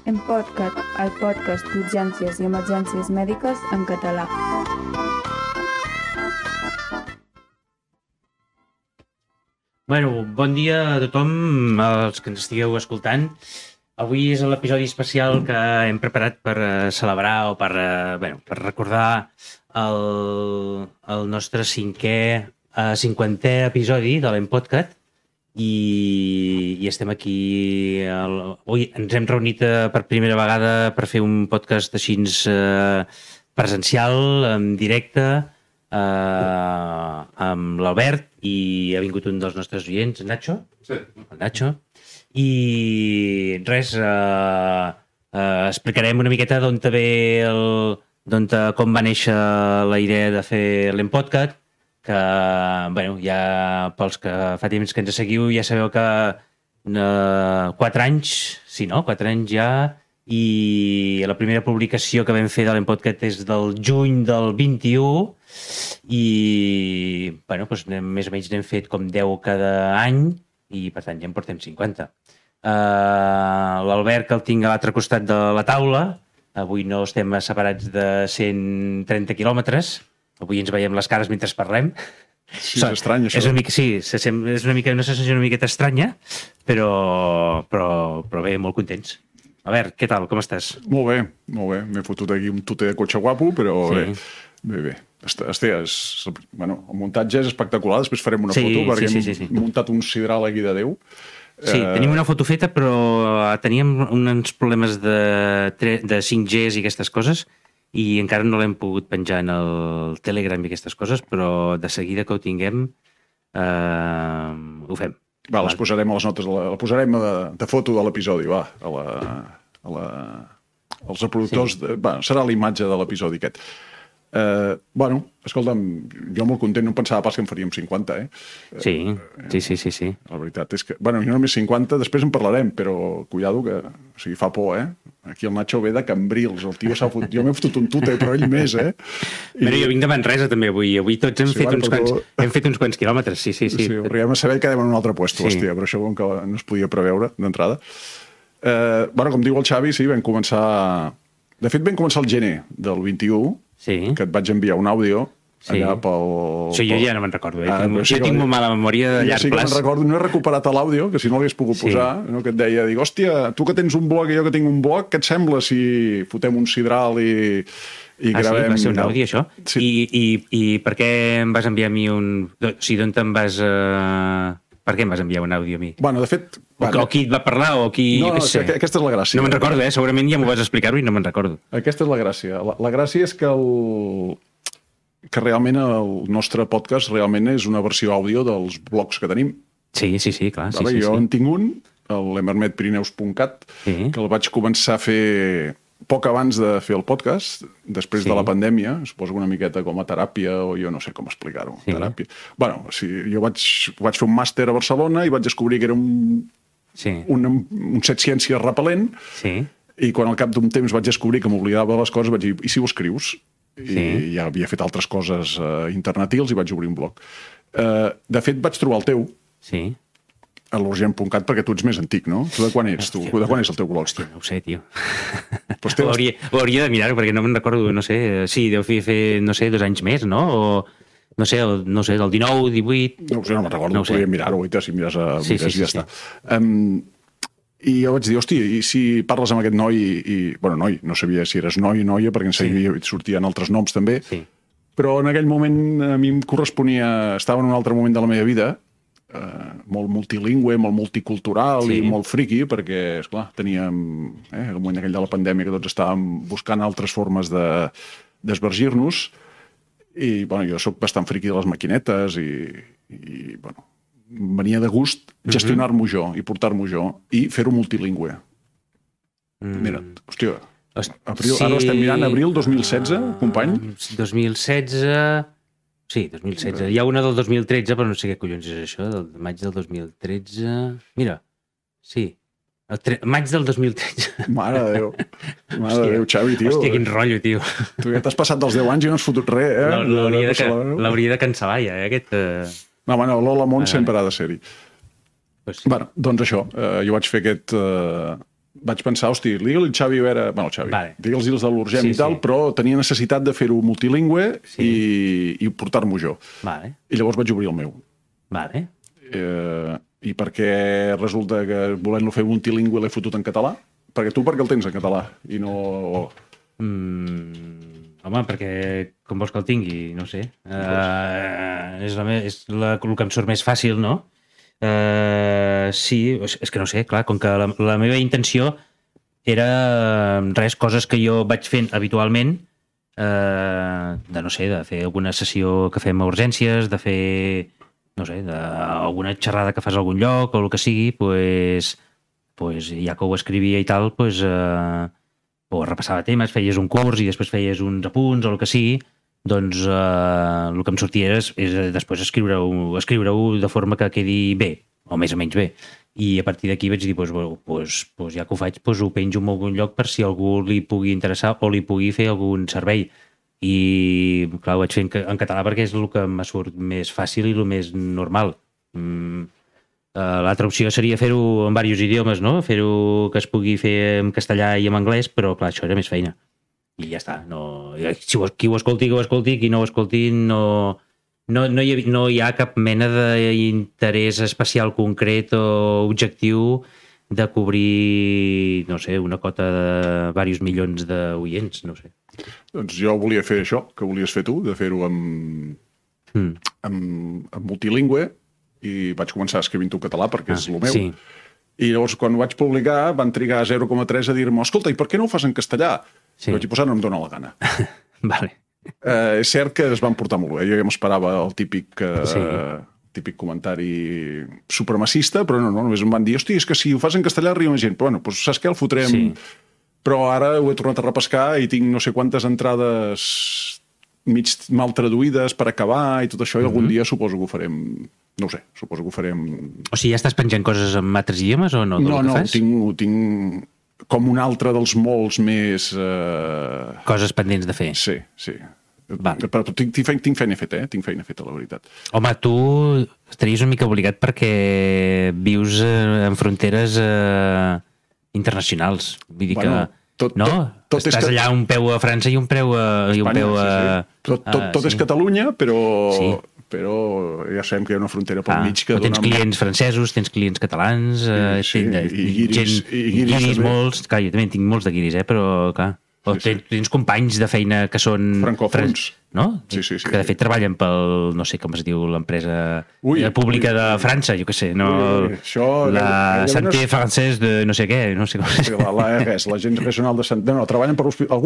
EmPodCat, el podcast d'urgències i emergències mèdiques en català. Bueno, bon dia a tothom, els que ens estigueu escoltant. Avui és l'episodi especial que hem preparat per celebrar o per recordar el nostre 50è episodi de l'EmPodCat i estem aquí. Avui ens hem reunit per primera vegada per fer un podcast així presencial, en directe, amb l'Albert, i ha vingut un dels nostres oients, Nacho. Sí. El Nacho. I res, explicarem una miqueta com va néixer la idea de fer l'EmPodCat, que, ja pels que fa temps que ens seguiu ja sabeu que 4 anys, sí, no? 4 anys ja, i la primera publicació que vam fer de l'EmPodCat és del juny del 21, i més o menys n'hem fet com 10 cada any, i per tant ja en portem 50. L'Albert, que el tinc a l'altre costat de la taula, avui no estem separats de 130 quilòmetres, avui ens veiem les cares mentre parlem. Sí, és estrany, això. És una sensació una miqueta estranya, però bé, molt contents. Albert, què tal? Com estàs? Molt bé. M'he fotut aquí un tuter de cotxe guapo, però sí. Bé. El muntatge és espectacular, després farem una foto, perquè hem muntat un sidral aquí de Déu. Sí, tenim una foto feta, però teníem uns problemes de 5G i aquestes coses, i encara no l'hem pogut penjar en el Telegram i aquestes coses, però de seguida que ho tinguem ho fem. Va, les posarem a les notes, la posarem de foto de l'episodi, va, als reproductors, serà la imatge de l'episodi aquest. Escolta'm, jo molt content, no pensava pas que en faríem 50, Sí. La veritat és que, jo només 50, després en parlarem, però cuidado que, fa por, Aquí el Nacho ve de Cambrils, el tio s'ha fotut, jo m'he fotut un tute, però ell més, Jo vinc de Manresa també avui tots hem fet uns quants quilòmetres, sí. Sí, arribem a saber que quedem en un altre puesto, hòstia, però això com que no es podia preveure d'entrada. Com diu el Xavi, sí, vam començar el gener del 21, que et vaig enviar un àudio allà pel... Sí, jo ja no me'n recordo. Jo tinc molt mala memòria de llarg plaç. No he recuperat l'àudio, que si no l'hagués pogut posar, que et deia, hòstia, tu que tens un blog i jo que tinc un blog, què et sembla si fotem un sidral i gravem... Va ser un àudio, això? Sí. I per què em vas enviar a mi un... O sigui, d'on te'n vas... Per què em vas enviar un àudio a mi? De fet... O qui et va parlar, o qui... No, aquesta és la gràcia. No me'n recordo, segurament ja m'ho vas explicar-ho i no me'n recordo. Aquesta és la gràcia. La gràcia és que realment el nostre podcast realment és una versió àudio dels blogs que tenim. Sí, clar. Jo en tinc un, l'emermetpirineus.cat, que el vaig començar a fer poc abans de fer el podcast, després de la pandèmia, suposo una miqueta com a teràpia, o jo no sé com explicar-ho. Teràpia. Jo vaig fer un màster a Barcelona i vaig descobrir que era un set ciències repel·lent, i quan al cap d'un temps vaig descobrir que m'oblidava les coses, vaig dir, i si ho escrius? I ja havia fet altres coses internetils i vaig obrir un blog. De fet, vaig trobar el teu, a l'urgent.cat, perquè tu ets més antic, no? Tu de quan ets, tu? De quan és el teu blog? No ho sé, tio. Ho hauria de mirar, perquè no me'n recordo, no sé, deu fer, 2 anys més, no? O, no sé, del 19, 18... No me'n recordo, podríem mirar-ho, si mires i ja està. I jo vaig dir, hòstia, i si parles amb aquest noi, noi, no sabia si eres noi o noia, perquè en sortien altres noms també, però en aquell moment a mi em corresponia, estava en un altre moment de la meva vida, molt multilingüe, molt multicultural i molt friqui, perquè, esclar, teníem el moment aquell de la pandèmia que tots estàvem buscant altres formes d'esvergir-nos, i jo soc bastant friqui de les maquinetes i venia de gust gestionar-m'ho jo i portar-m'ho jo i fer-ho multilingüe. Mira, hòstia, ara estem mirant abril 2016, company? 2016... Sí, 2016. Hi ha una del 2013, però no sé què collons és això, del maig del 2013... Mira, sí, maig del 2013. Mare de Déu. Mare de Déu, Xavi, tio. Hòstia, quin rotllo, tio. Tu ja t'has passat dels 10 anys i no has fotut res, L'hauria de cancel·lar, ja, aquest... No, l'Hola Món sempre ha de ser-hi. Doncs això, jo vaig fer aquest vaig pensar, hosti, digue-li el Xavi Vera... Bueno, el Xavi, digue'ls els de l'Urgem i tal, però tenia necessitat de fer-ho multilingüe i portar-m'ho jo. I llavors vaig obrir el meu. I perquè resulta que volent-lo fer multilingüe l'he fotut en català? Perquè tu el tens en català i no... Home, perquè com vols que el tingui? No sé. És el que em surt més fàcil, no? Sí, és que no sé, clar, com que la meva intenció era coses que jo vaig fent habitualment, de fer alguna sessió que fem a urgències, de fer, no sé, alguna xerrada que fas a algun lloc o el que sigui, pues ja que ho escrivia i tal, o repassava temes, feies un curs i després feies uns apunts o el que sigui, doncs el que em sortia és després escriure-ho de forma que quedi bé, o més o menys bé. I a partir d'aquí vaig dir, ja que ho faig, ho penjo en algun lloc per si algú li pugui interessar o li pugui fer algun servei. I clar, ho vaig fer en català perquè és el que em surt més fàcil i el més normal. L'altra opció seria fer-ho en diversos idiomes, no? Fer-ho que es pugui fer en castellà i en anglès, però clar, això era més feina. I ja està. Qui ho escolti, que ho escolti, qui no ho escolti, no hi ha cap mena d'interès especial concret o objectiu de cobrir, no sé, una cota de diversos milions d'oients, no sé. Doncs jo volia fer això, que volies fer tu, de fer-ho en multilingüe, i vaig començar escrivint-ho en català perquè és el meu. Sí. I llavors, quan ho vaig publicar, van trigar 0,3 a dir-me, escolta, i per què no ho fas en castellà? Sí. Vaig posar, no em dóna la gana. Vale. És cert que es van portar molt bé. Jo ja m'esperava el típic comentari supremacista, però no, només em van dir, hosti, és que si ho fas en castellà arriba gent. Però bueno, doncs saps què? El fotrem... Sí. Però ara ho he tornat a repescar i tinc no sé quantes entrades mig mal traduïdes per acabar i tot això, i algun dia suposo que ho farem... No ho sé, suposo que ho farem... O sigui, ja estàs penjant coses en altres idiomes o no? No, ho tinc com un altre dels molts més... Coses pendents de fer. Sí. Però tinc feina feta, Tinc feina feta, la veritat. Home, tu estaries una mica obligat perquè vius en fronteres internacionals. Vull dir que... Estàs allà un peu a França i un peu a... Espanya, sí. Tot és Catalunya, però... Sí. Però ja sabem que hi ha una frontera pel mig que tens clients francesos, tens clients catalans, guiris molts. Clar, jo també en tinc molts de guiris, però clar. O tens companys de feina que són... Francòfons. No? Sí. Que de fet treballen pel, no sé com es diu, l'empresa pública de França, jo què sé, no? La Santé Française de no sé què, no sé com es diu. L'Agència Regional de Santé... No, treballen per l'hospital...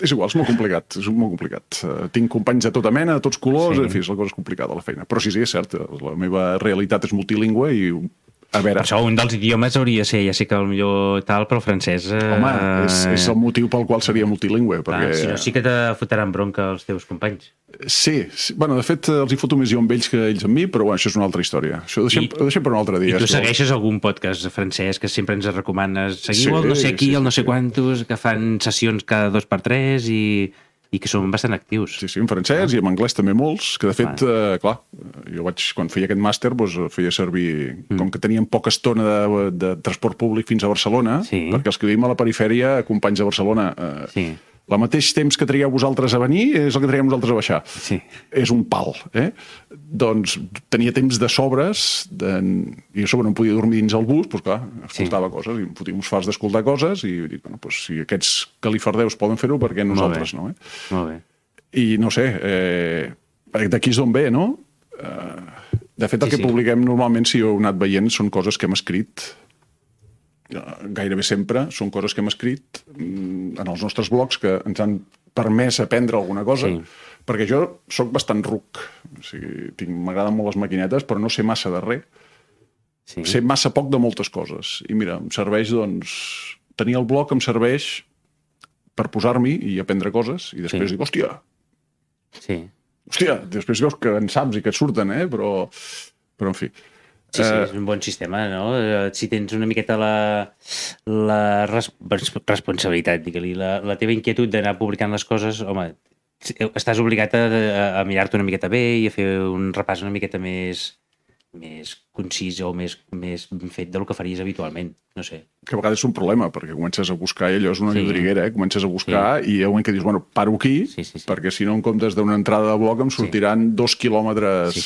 És igual, és molt complicat. Tinc companys de tota mena, de tots colors, en fi, és la cosa complicada, la feina. Però sí, és cert, la meva realitat és multilingüe i... A veure... Per això un dels idiomes hauria de ser, ja sé que potser tal, però el francès... Home, és el motiu pel qual seria multilingüe, perquè... Si no, sí que te fotran bronca els teus companys. Sí. Bueno, de fet, els hi foto més jo amb ells que ells amb mi, però bueno, això és una altra història. Això ho deixem per un altre dia. I tu segueixes algun podcast francès que sempre ens recomanes? Seguiu el no sé qui, el no sé quantos, que fan sessions cada 2x3 i que són bastant actius. Sí, en francès i en anglès també molts, que de fet, clar, jo quan feia aquest màster, feia servir, com que teníem poca estona de transport públic fins a Barcelona, perquè els que vivim a la perifèria, companys de Barcelona, el mateix temps que trigueu vosaltres a venir és el que triguem nosaltres a baixar. Sí. És un pal, Doncs tenia temps de sobres, i a sobre no em podia dormir dins el bus, doncs clar, escoltava coses, i em fotia uns fars d'escoltar coses, i dic, bueno, doncs si aquests califardeus poden fer-ho, per què nosaltres no? Molt bé. I no sé, d'aquí és d'on ve, no? De fet, el que publiquem normalment, si heu anat veient, són coses que hem escrit gairebé sempre, són coses que hem escrit en els nostres blogs que ens han permès aprendre alguna cosa, perquè jo sóc bastant ruc, o sigui, m'agraden molt les maquinetes, però no sé massa de res. Sé massa poc de moltes coses. I mira, em serveix, doncs... Tenir el blog em serveix per posar-m'hi i aprendre coses, i després dic, hòstia! Hòstia, després veus que en saps i que et surten, però en fi... Sí, és un bon sistema, no? Si tens una miqueta la responsabilitat, digue-li, la teva inquietud d'anar publicant les coses, home, estàs obligat a mirar-te una miqueta bé i a fer un repàs una miqueta més concís o més fet del que faries habitualment, no sé. Que a vegades és un problema, perquè comences a buscar, allò és una llodriguera, comences a buscar i hi ha un moment que dius, bueno, paro aquí, perquè si no en comptes d'una entrada de blog em sortiran 2 quilòmetres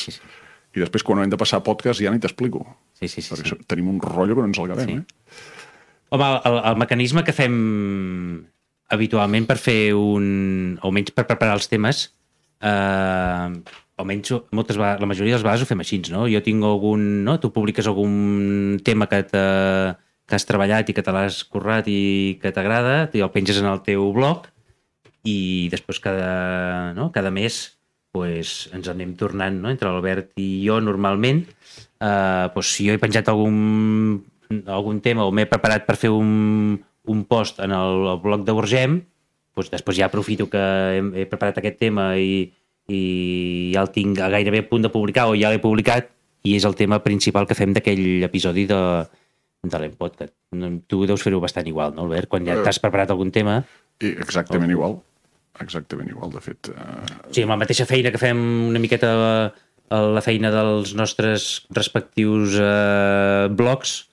i després quan hem de passar podcast ja ni t'explico. Perquè tenim un rotllo que no ens el acabem, Home, el mecanisme que fem habitualment per fer almenys per preparar els temes, almenys la majoria de les vegades ho fem així, no? Jo tinc tu publiques algun tema que has treballat i que te l'has currat i que t'agrada, i el penges en el teu blog i després cada mes ens anem tornant, no? Entre l'Albert i jo normalment, si jo he penjat algun tema o m'he preparat per fer un post en el blog de Borgem, després ja aprofito que he preparat aquest tema i ja el tinc gairebé a punt de publicar o ja l'he publicat i és el tema principal que fem d'aquell episodi de l'Empodcast. Tu deus fer-ho bastant igual, no, Albert? Quan ja t'has preparat algun tema... Exactament igual, de fet. Sí, amb la mateixa feina que fem una miqueta la feina dels nostres respectius blogs,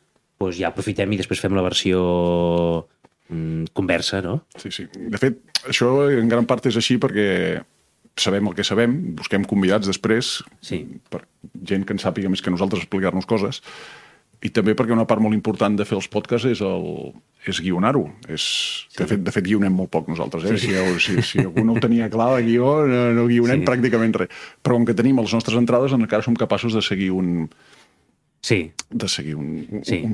ja aprofitem i després fem la versió conversa, no? Sí. De fet, això en gran part és així perquè sabem el que sabem, busquem convidats després, per gent que en sàpiga més que nosaltres explicar-nos coses, i també perquè una part molt important de fer els podcasts és guionar-ho. De fet, guionem molt poc nosaltres. Si algú no ho tenia clar, de guió, no guionem pràcticament res. Però com que tenim les nostres entrades, encara som capaços de seguir un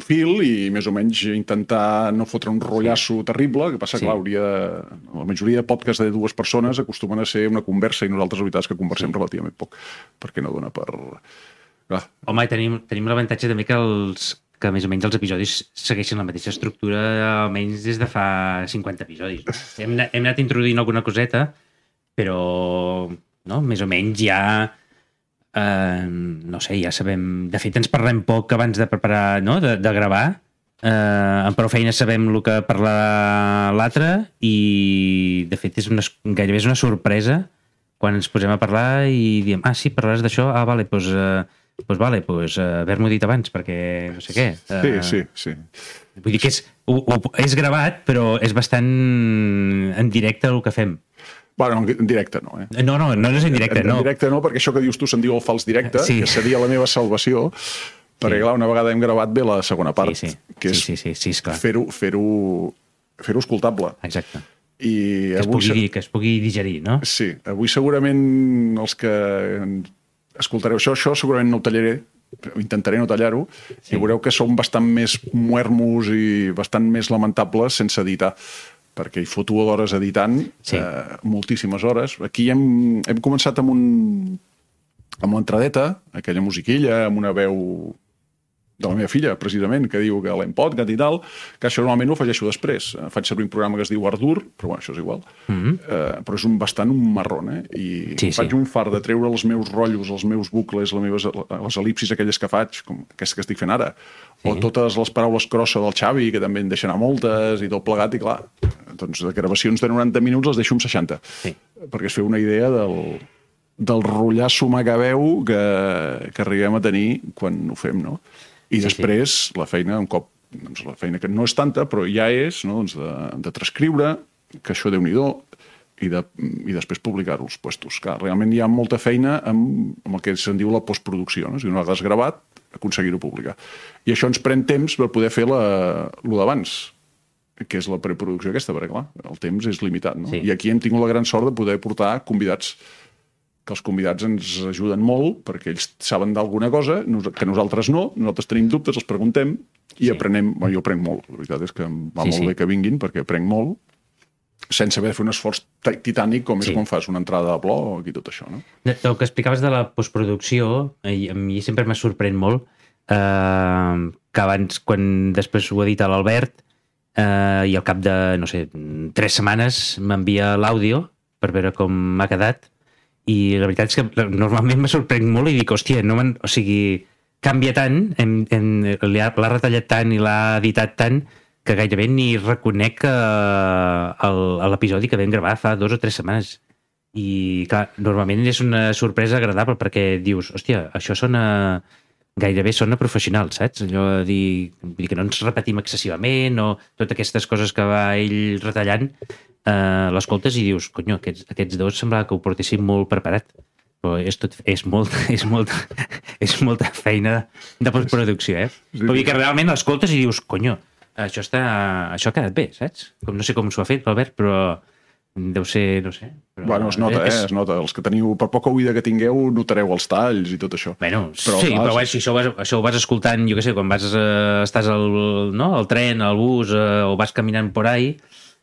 fil i més o menys intentar no fotre un rotllasso terrible, que passa que la majoria de podcasts de 2 persones acostumen a ser una conversa i nosaltres la veritat és que conversem relativament poc, perquè no dona per... Home, tenim l'avantatge també que més o menys els episodis segueixen la mateixa estructura almenys des de fa 50 episodis. Hem anat introduint alguna coseta, però més o menys ja no sé, ja sabem... De fet, ens parlem poc abans de preparar, de gravar. Amb prou feina sabem el que parlarà l'altre i, de fet, gairebé és una sorpresa quan ens posem a parlar i diem, sí, parlaràs d'això? Vale, haver-m'ho dit abans, perquè no sé què. Sí. Vull dir que és gravat, però és bastant en directe el que fem. Bueno, en directe no, No és en directe, no. En directe no, perquè això que dius tu se'n diu el fals directe, que seria la meva salvació, perquè, clar, una vegada hem gravat bé la segona part, que és fer-ho escoltable. Exacte. Que es pugui digerir, no? Sí. Avui segurament els que escoltareu això segurament no ho tallaré, intentaré no tallar-ho, i veureu que som bastant més muermos i bastant més lamentables sense editar, perquè hi foto hores editant, moltíssimes hores. Aquí hem començat amb l'entradeta, aquella musiquilla, amb una veu de la meva filla, precisament, que diu que l'Empodcast i tal, que això normalment ho afegeixo després. Faig servir un programa que es diu Ardour, però bueno, això és igual. Però és bastant un marrón, I faig un fart de treure els meus rotllos, els meus bucles, les el·lipsis aquelles que faig, com aquesta que estic fent ara, o totes les paraules crossa del Xavi, que també en deixen a moltes, i tot plegat, i clar, doncs de gravacions de 90 minuts les deixo en 60, perquè es feu una idea del rotllasso macabeu que arribem a tenir quan ho fem, no? I després la feina, un cop, la feina que no és tanta, però ja és, de transcriure, que això Déu-n'hi-do, i després publicar-ho als puestos. Clar, realment hi ha molta feina amb el que se'n diu la postproducció, no? Si una vegada has gravat, aconseguir-ho publicar. I això ens pren temps per poder fer lo d'abans, que és la preproducció aquesta, perquè clar, el temps és limitat, no? I aquí hem tingut la gran sort de poder portar convidats, que els convidats ens ajuden molt perquè ells saben d'alguna cosa que nosaltres no, nosaltres tenim dubtes, els preguntem i aprenem. Jo aprenc molt, la veritat és que em va molt bé que vinguin perquè aprenc molt sense haver de fer un esforç titànic com és quan fas una entrada de blog i tot això, no? El que explicaves de la postproducció, a mi sempre m'ha sorprèn molt que abans, quan després ho edita l'Albert i al cap de, no sé, 3 setmanes m'envia l'àudio per veure com m'ha quedat. I la veritat és que normalment me sorprenc molt i dic, hòstia, o sigui, canvia tant, l'ha retallat tant i l'ha editat tant que gairebé ni reconec l'episodi que vam gravar fa 2 o 3 setmanes. I clar, normalment és una sorpresa agradable perquè dius, hòstia, això sona gairebé sona professional, saps? Allò de dir, vull dir que no ens repetim excessivament o totes aquestes coses que va ell retallant, l'escoltes i dius, conyo, aquests dos semblava que ho portessin molt preparat. Però és molta feina de postproducció, eh? Vull dir que realment l'escoltes i dius, conyo, això ha quedat bé, saps? No sé com s'ho ha fet, l'Albert, però deu ser, no sé. Però bueno, es nota, es nota. Els que teniu, per poca oïda que tingueu, notareu els talls i tot això. Bueno, però si això ho vas escoltant, jo què sé, quan estàs al tren, al bus, o vas caminant por ahí,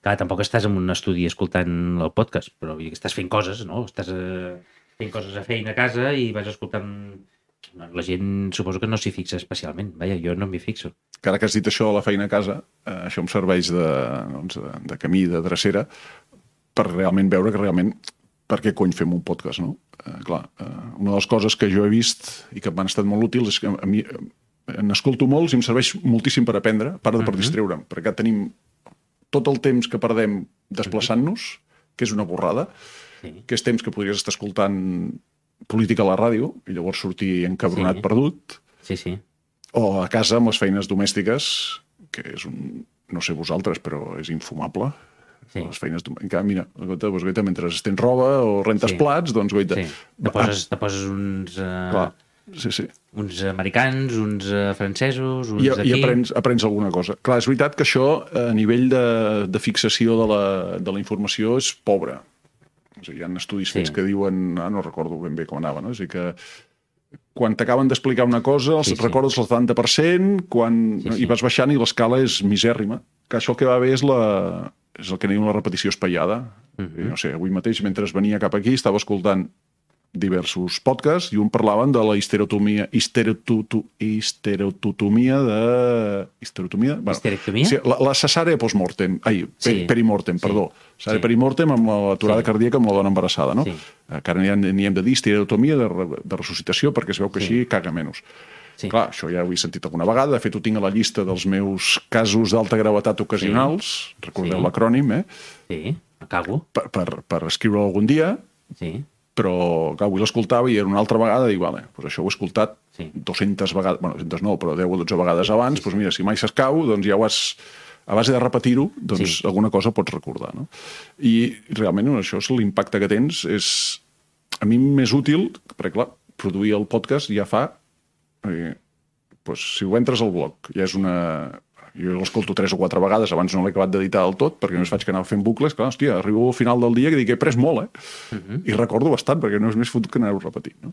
clar, tampoc estàs en un estudi escoltant el podcast, però estàs fent coses, no? Estàs fent coses a feina a casa i vas escoltant... La gent suposo que no s'hi fixa especialment. Vaja, jo no m'hi fixo. Que ara que has dit això de la feina a casa, això em serveix de camí, de drecera, per realment veure que realment per què cony fem un podcast, no? Clar, una de les coses que jo he vist i que m'han estat molt útils és que a mi n'escolto molts i em serveix moltíssim per aprendre, a part de per distreure'm, perquè tenim tot el temps que perdem desplaçant-nos, que és una borrada, que és temps que podries estar escoltant política a la ràdio i llavors sortir encabronat perdut, o a casa amb les feines domèstiques, que és no sé vosaltres, però és infumable. Les feines domèstiques. Mira, mentre estens roba o rentes plats, doncs goita. Te poses uns... uns americans, uns francesos, uns d'aquí... I aprens alguna cosa. Clar, és veritat que això, a nivell de fixació de la informació, és pobre. Hi ha estudis fets que diuen... no recordo ben bé com anava, no? És a dir, que quan t'acaben d'explicar una cosa, recordes el 70%, i vas baixant i l'escala és misèrrima. Que això que va bé és el que diuen la repetició espaiada. No sé, avui mateix, mentre venia cap aquí, estava escoltant diversos podcasts i un parlaven de la histerectomia la cesàrea postmortem, perimortem, perdó. Cesàrea perimortem amb l'aturada cardíaca amb la dona embarassada, no? Que ara n'hi hem de dir histerectomia de ressuscitació perquè es veu que així caga menys. Clar, això ja ho he sentit alguna vegada. De fet, ho tinc a la llista dels meus casos d'alta gravetat ocasionals. Recordeu l'acrònim, Sí, cago. Per escriure-ho algun dia. Però avui l'escoltava i era una altra vegada i vale, doncs això ho he escoltat 200 vegades, bueno, 200 no, però 10 o 12 vegades abans, doncs mira, si mai s'escau, doncs ja ho has, a base de repetir-ho, doncs alguna cosa pots recordar, no? I realment això és l'impacte que tens, és a mi més útil, perquè clar, produir el podcast ja fa, doncs si ho entres al blog, ja és una... Jo l'escolto 3 o 4 vegades, abans no l'he acabat d'editar del tot, perquè només faig que anava fent bucles, clar, hòstia, arribo al final del dia que dic que he pres molt, I recordo bastant, perquè no és més fotut que anar-ho repetint, no?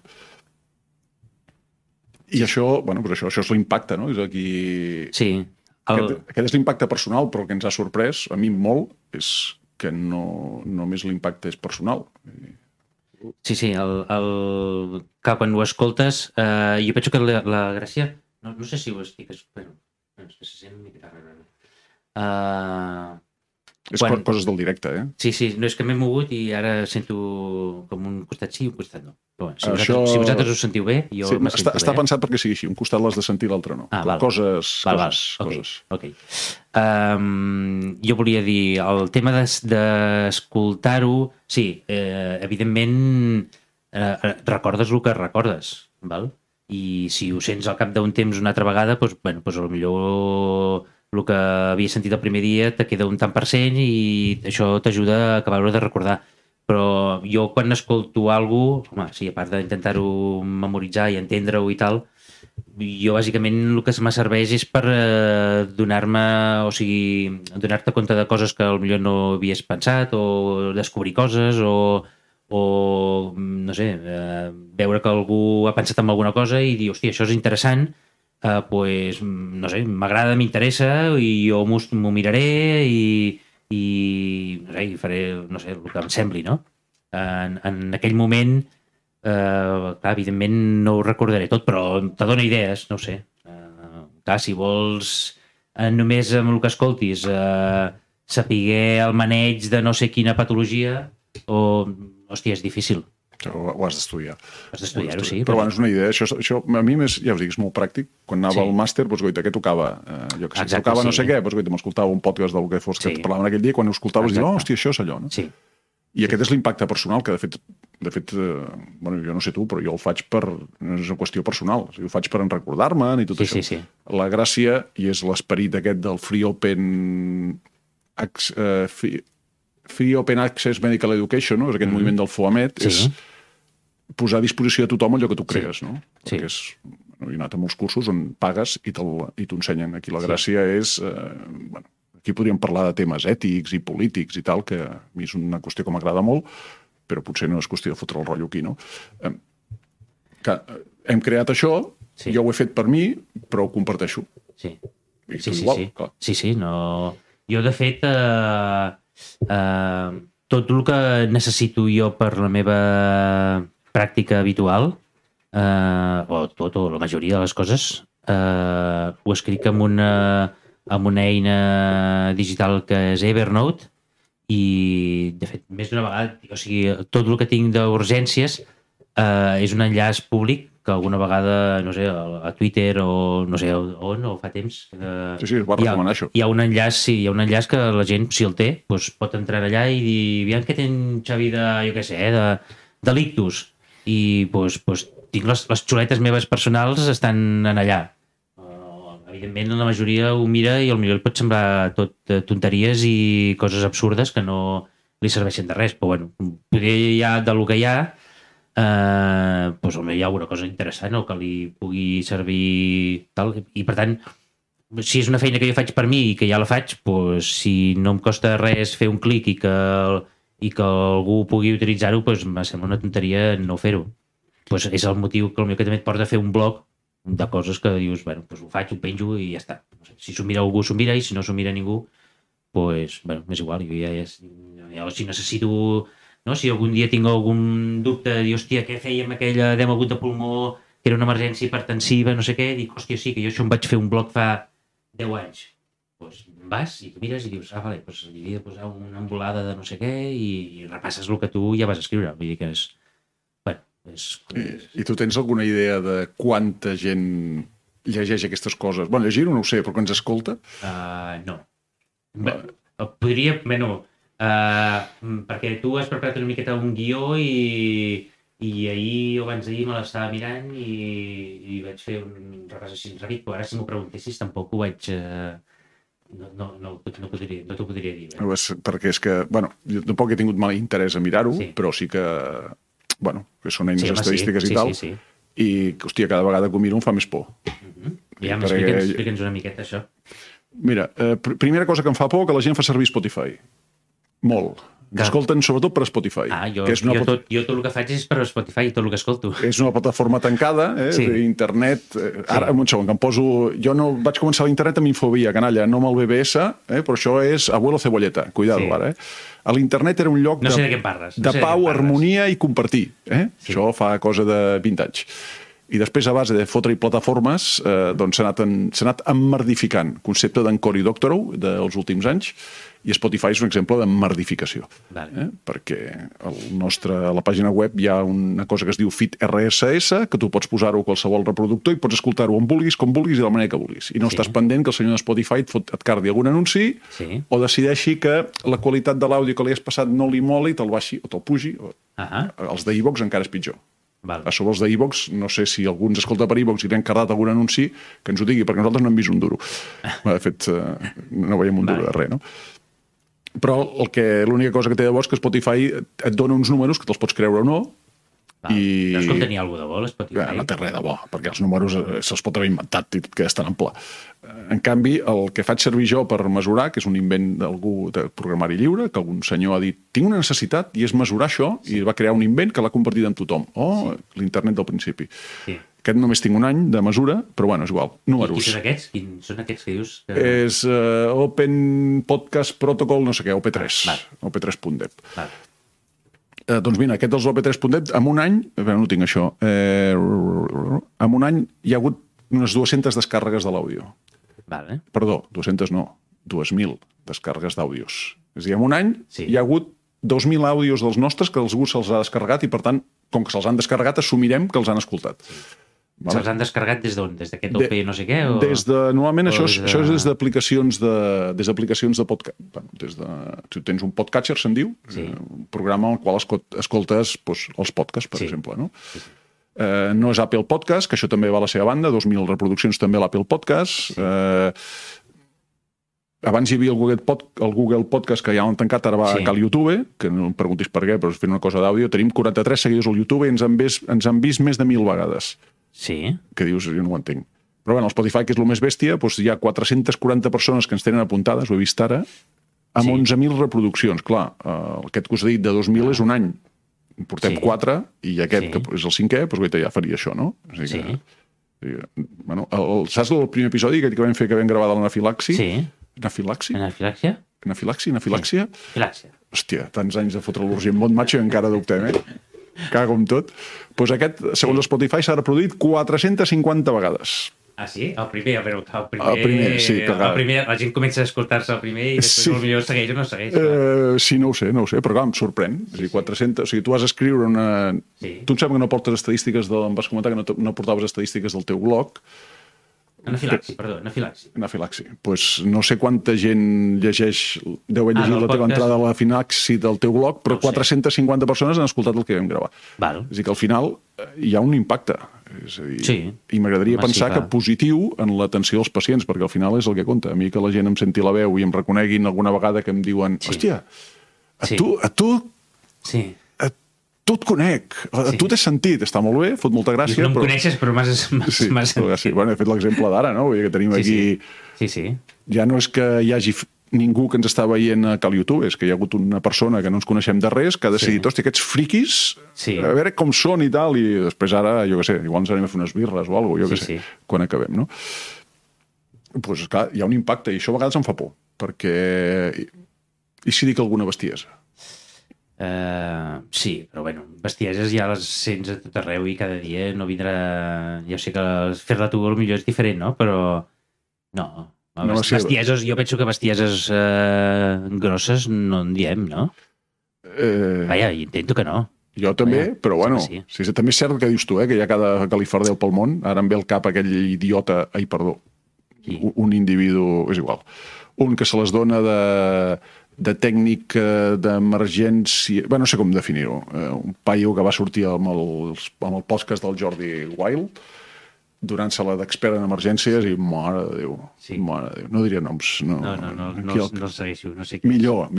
I això, bueno, però això és l'impacte, no? És aquí... Sí. Aquest és l'impacte personal, però el que ens ha sorprès, a mi molt, és que no només l'impacte és personal. Sí, clar, quan ho escoltes, jo penso que la gràcia, no sé si ho estic... se sent una mica rara. És coses del directe, Sí, no és que m'he mogut i ara sento com un costat sí i un costat no. Però si vosaltres us sentiu bé, jo me sento bé. Està pensat perquè sigui així, un costat l'has de sentir, l'altre no. Coses. Ok. Jo volia dir, el tema d'escoltar-ho, sí, evidentment recordes el que recordes, val? I si ho sents al cap d'un temps una altra vegada, doncs potser el que havia sentit el primer dia te queda un tant % i això t'ajuda a acabar de recordar. Però jo quan escolto alguna cosa, home, sí, a part d'intentar-ho memoritzar i entendre-ho i tal, jo bàsicament el que me serveix és per donar-te compte de coses que potser no havies pensat o descobrir coses o no sé, veure que algú ha pensat en alguna cosa i dir, hòstia, això és interessant, doncs, no sé, m'agrada, m'interessa i jo m'ho miraré i faré, no sé, el que em sembli, no? En aquell moment, clar, evidentment no ho recordaré tot, però te dona idees, no ho sé. Clar, si vols només amb el que escoltis sapiguer el maneig de no sé quina patologia hòstia, és difícil. Ho has d'estudiar. Has d'estudiar-ho, sí. Però bueno, és una idea. Això a mi, ja us dic, és molt pràctic. Quan anava al màster, doncs, goita, què tocava? Jo que sé, tocava no sé què, doncs, goita, m'escoltava un podcast del que fos que parlaven aquell dia, quan ho escoltaves, dius, hòstia, això és allò, no? Sí. I aquest és l'impacte personal, que de fet, bueno, jo no sé tu, però jo ho faig no és una qüestió personal, ho faig per recordar-me'n i tot això. Sí. La gràcia, i és l'esperit aquest del Free Open Access Medical Education, no? És aquest moviment del FOAMED, és posar a disposició de tothom allò que tu crees, no? Perquè he anat a molts cursos on pagues i t'ho ensenyen. Aquí la gràcia és... Bueno, aquí podríem parlar de temes ètics i polítics i tal, que a mi és una qüestió que m'agrada molt, però potser no és qüestió de fotre el rotllo aquí, no? Hem creat això, jo ho he fet per mi, però ho comparteixo. Sí. Sí. No... Jo, de fet, tot el que necessito jo per la meva pràctica habitual, o la majoria de les coses, ho escric amb una eina digital que és Evernote, i de fet més d'una vegada, o sigui, tot el que tinc d'urgències és un enllaç públic que alguna vegada, no sé, a Twitter o no sé on, o fa temps es va recomanar això. Hi ha un enllaç que la gent, si el té, doncs pot entrar allà i dir, aviam què ten Xavi de, jo què sé, de l'ictus, i doncs tinc les xuletes meves personals estan en allà. Evidentment, la majoria ho mira i potser li pot semblar tot tonteries i coses absurdes que no li serveixen de res, però bueno, potser ja del que hi ha, doncs hi ha alguna cosa interessant o que li pugui servir tal, i per tant, si és una feina que jo faig per mi i que ja la faig, doncs si no em costa res fer un clic i que algú pugui utilitzar-ho, doncs em sembla una tonteria no fer-ho. Doncs és el motiu que potser també et porta a fer un blog de coses que dius, bueno, doncs ho faig, ho penjo i ja està. No sé, si s'ho mira algú, s'ho mira, i si no s'ho mira ningú, doncs, bueno, és igual. Jo si necessito, no? Si algun dia tinc algun dubte, dir, hòstia, què fèiem aquella edema agut de pulmó, que era una emergència hipertensiva, no sé què, dic, hòstia, sí, que jo això em vaig fer un blog fa 10 anys. Doncs vas i tu mires i dius, vale, doncs li havia de posar una embolada de no sé què i repasses el que tu ja vas escriure. Vull dir que és... I tu tens alguna idea de quanta gent llegeix aquestes coses? Bueno, llegir-ho no ho sé, però que ens escolta? No. Podria... Bueno, perquè tu has preparat una miqueta un guió i ahir o abans d'ahir me l'estava mirant i vaig fer un repàs així ràpid, però ara si m'ho preguntessis tampoc ho vaig... No t'ho podria dir. Perquè és que, bueno, jo tampoc he tingut mal interès a mirar-ho, però sí que... Bueno, que són eines estadístiques i tal, i, hòstia, cada vegada que ho miro em fa més por. Ja, explica'ns una miqueta, això. Mira, primera cosa que em fa por, que la gent fa servir Spotify. Molt. Escolten sobretot per Spotify. Jo tot el que faig és per Spotify, tot el que escolto. És una plataforma tancada, d'internet. Ara, un segon, que em poso... Jo no vaig començar a l'internet amb Infobia, canalla, no amb el BBS, però això és Abuelo Cebolleta. Cuidado, ara, A l'internet era un lloc no sé de què parles. De pau, harmonia i compartir. Això fa cosa de 20 anys. I després, a base de fotre-hi plataformes, doncs s'ha anat emmerdificant. Concepte d'Encor i Doctorow dels últims anys, i Spotify és un exemple d'emmerdificació. Perquè a la pàgina web hi ha una cosa que es diu Feed RSS, que tu pots posar-ho a qualsevol reproductor i pots escoltar-ho on vulguis, com vulguis i de la manera que vulguis. I no estàs pendent que el senyor de Spotify et cardi algun anunci o decideixi que la qualitat de l'àudio que li has passat no li mola i te'l baixi o te'l pugi. Els d'iVox encara és pitjor. A sobre els d'iVox, no sé si algú ens escolta per iVox i li han cardat algun anunci, que ens ho digui, perquè nosaltres no hem vist un duro. De fet, no veiem un duro de res, no? Però l'única cosa que té de bo és que Spotify et dona uns números que te'ls pots creure o no. No és com tenir alguna de bo, l'Spotify. No té res de bo, perquè els números se'ls pot haver inventat i tot queda tan ample. En canvi, el que faig servir jo per mesurar, que és un invent d'algú de programari lliure, que algun senyor ha dit, tinc una necessitat i és mesurar això, i va crear un invent que l'ha compartit amb tothom. L'internet del principi. Aquest només tinc un any de mesura, però bueno, és igual. Números. I són aquests? Quins són aquests que dius? És Open Podcast Protocol, no sé què, OP3. OP3.deb. Doncs mira, aquest dels OP3.deb, en un any, no tinc això, en un any hi ha hagut unes 200 descàrregues de l'àudio. Perdó, 200 no, 2.000 descàrregues d'àudios. És a dir, en un any hi ha hagut 2.000 àudios dels nostres que algú se'ls ha descarregat i, per tant, com que se'ls han descarregat, assumirem que els han escoltat. Vale? Se'ls han descarregat des d'on? Des d'aquest OP no sé què? Normalment això és des d'aplicacions de podcast. Tu tens un podcatcher, se'n diu, un programa al qual escoltes els podcasts, per exemple. No? No és Apple Podcast, que això també va a la seva banda, 2.000 reproduccions també a l'Apple Podcast. Abans hi havia el Google Podcast, que ja l'han tancat, ara va a YouTube, que no em preguntis per què, però fent una cosa d'àudio. Tenim 43 seguidors al YouTube i ens han vist més de 1.000 vegades. Sí. Que dius, jo no ho entenc. Però bueno, el Spotify, que és el més bèstia, doncs hi ha 440 persones que ens tenen apuntades, ho he vist ara, amb 11.000 reproduccions. Clar, aquest que us he dit de 2.000 és un any. Portem 4 i aquest, que és el 5è, doncs ja faria això, no? O sigui bueno, saps el primer episodi que vam fer, que vam gravar de l'anafilaxi? Sí. Anafilaxia? Anafilaxia? Hòstia, tants anys de fotre l'urgent món, macho, i encara dubtem, Cago amb tot. Doncs aquest, segons Spotify, s'ha reproduït 450 vegades. Ah, sí? El primer, però el primer, sí. El primer, la gent comença a escoltar-se el primer i després potser segueix o no segueix. Sí, no ho sé, però clar, em sorprèn. És a dir, 400... O sigui, tu has d'escriure una... Tu em sembla que no portes estadístiques em vas comentar que no portaves estadístiques del teu blog. Anafilaxi. Doncs no sé quanta gent llegeix, deu haver llegit la teva entrada a l'anafilaxi del teu blog, però 450 persones han escoltat el que vam gravar. És a dir, que al final hi ha un impacte. És a dir, i m'agradaria pensar que positiu en l'atenció dels pacients, perquè al final és el que compta. A mi que la gent em senti la veu i em reconeguin alguna vegada que em diuen hòstia, a tu et conec, tu t'has sentit, està molt bé, fot molta gràcia. No em coneixes, però m'has sentit. Sí, bueno, he fet l'exemple d'ara, no? Vull dir que tenim aquí... Sí. Ja no és que hi hagi ningú que ens està veient a Cal YouTube, és que hi ha hagut una persona que no ens coneixem de res, que ha decidit, hòstia, aquests friquis, a veure com són i tal, i després ara, jo què sé, igual ens anem a fer unes birres o alguna cosa, jo què sé, quan acabem, no? Doncs, clar, hi ha un impacte, i això a vegades em fa por, perquè... I si dic alguna bestiesa? Sí, però bueno, bestieses ja les sents a tot arreu i cada dia no vindrà... Ja sé que fer-la tu potser és diferent, no? Però no, bestieses, jo penso que bestieses grosses no en diem, no? Vaja, intento que no. Jo també, però bueno, també és cert que dius tu, que hi ha cada califardeu pel món. Ara em ve al cap aquell idiota, un individu, és igual, un que se les dona de tècnic d'emergència... Bé, no sé com definir-ho. Un paio que va sortir amb el podcast del Jordi Wild, donant-se-la d'expert en emergències i mare de Déu. No diria noms. No el segueixo, no sé què. Millor.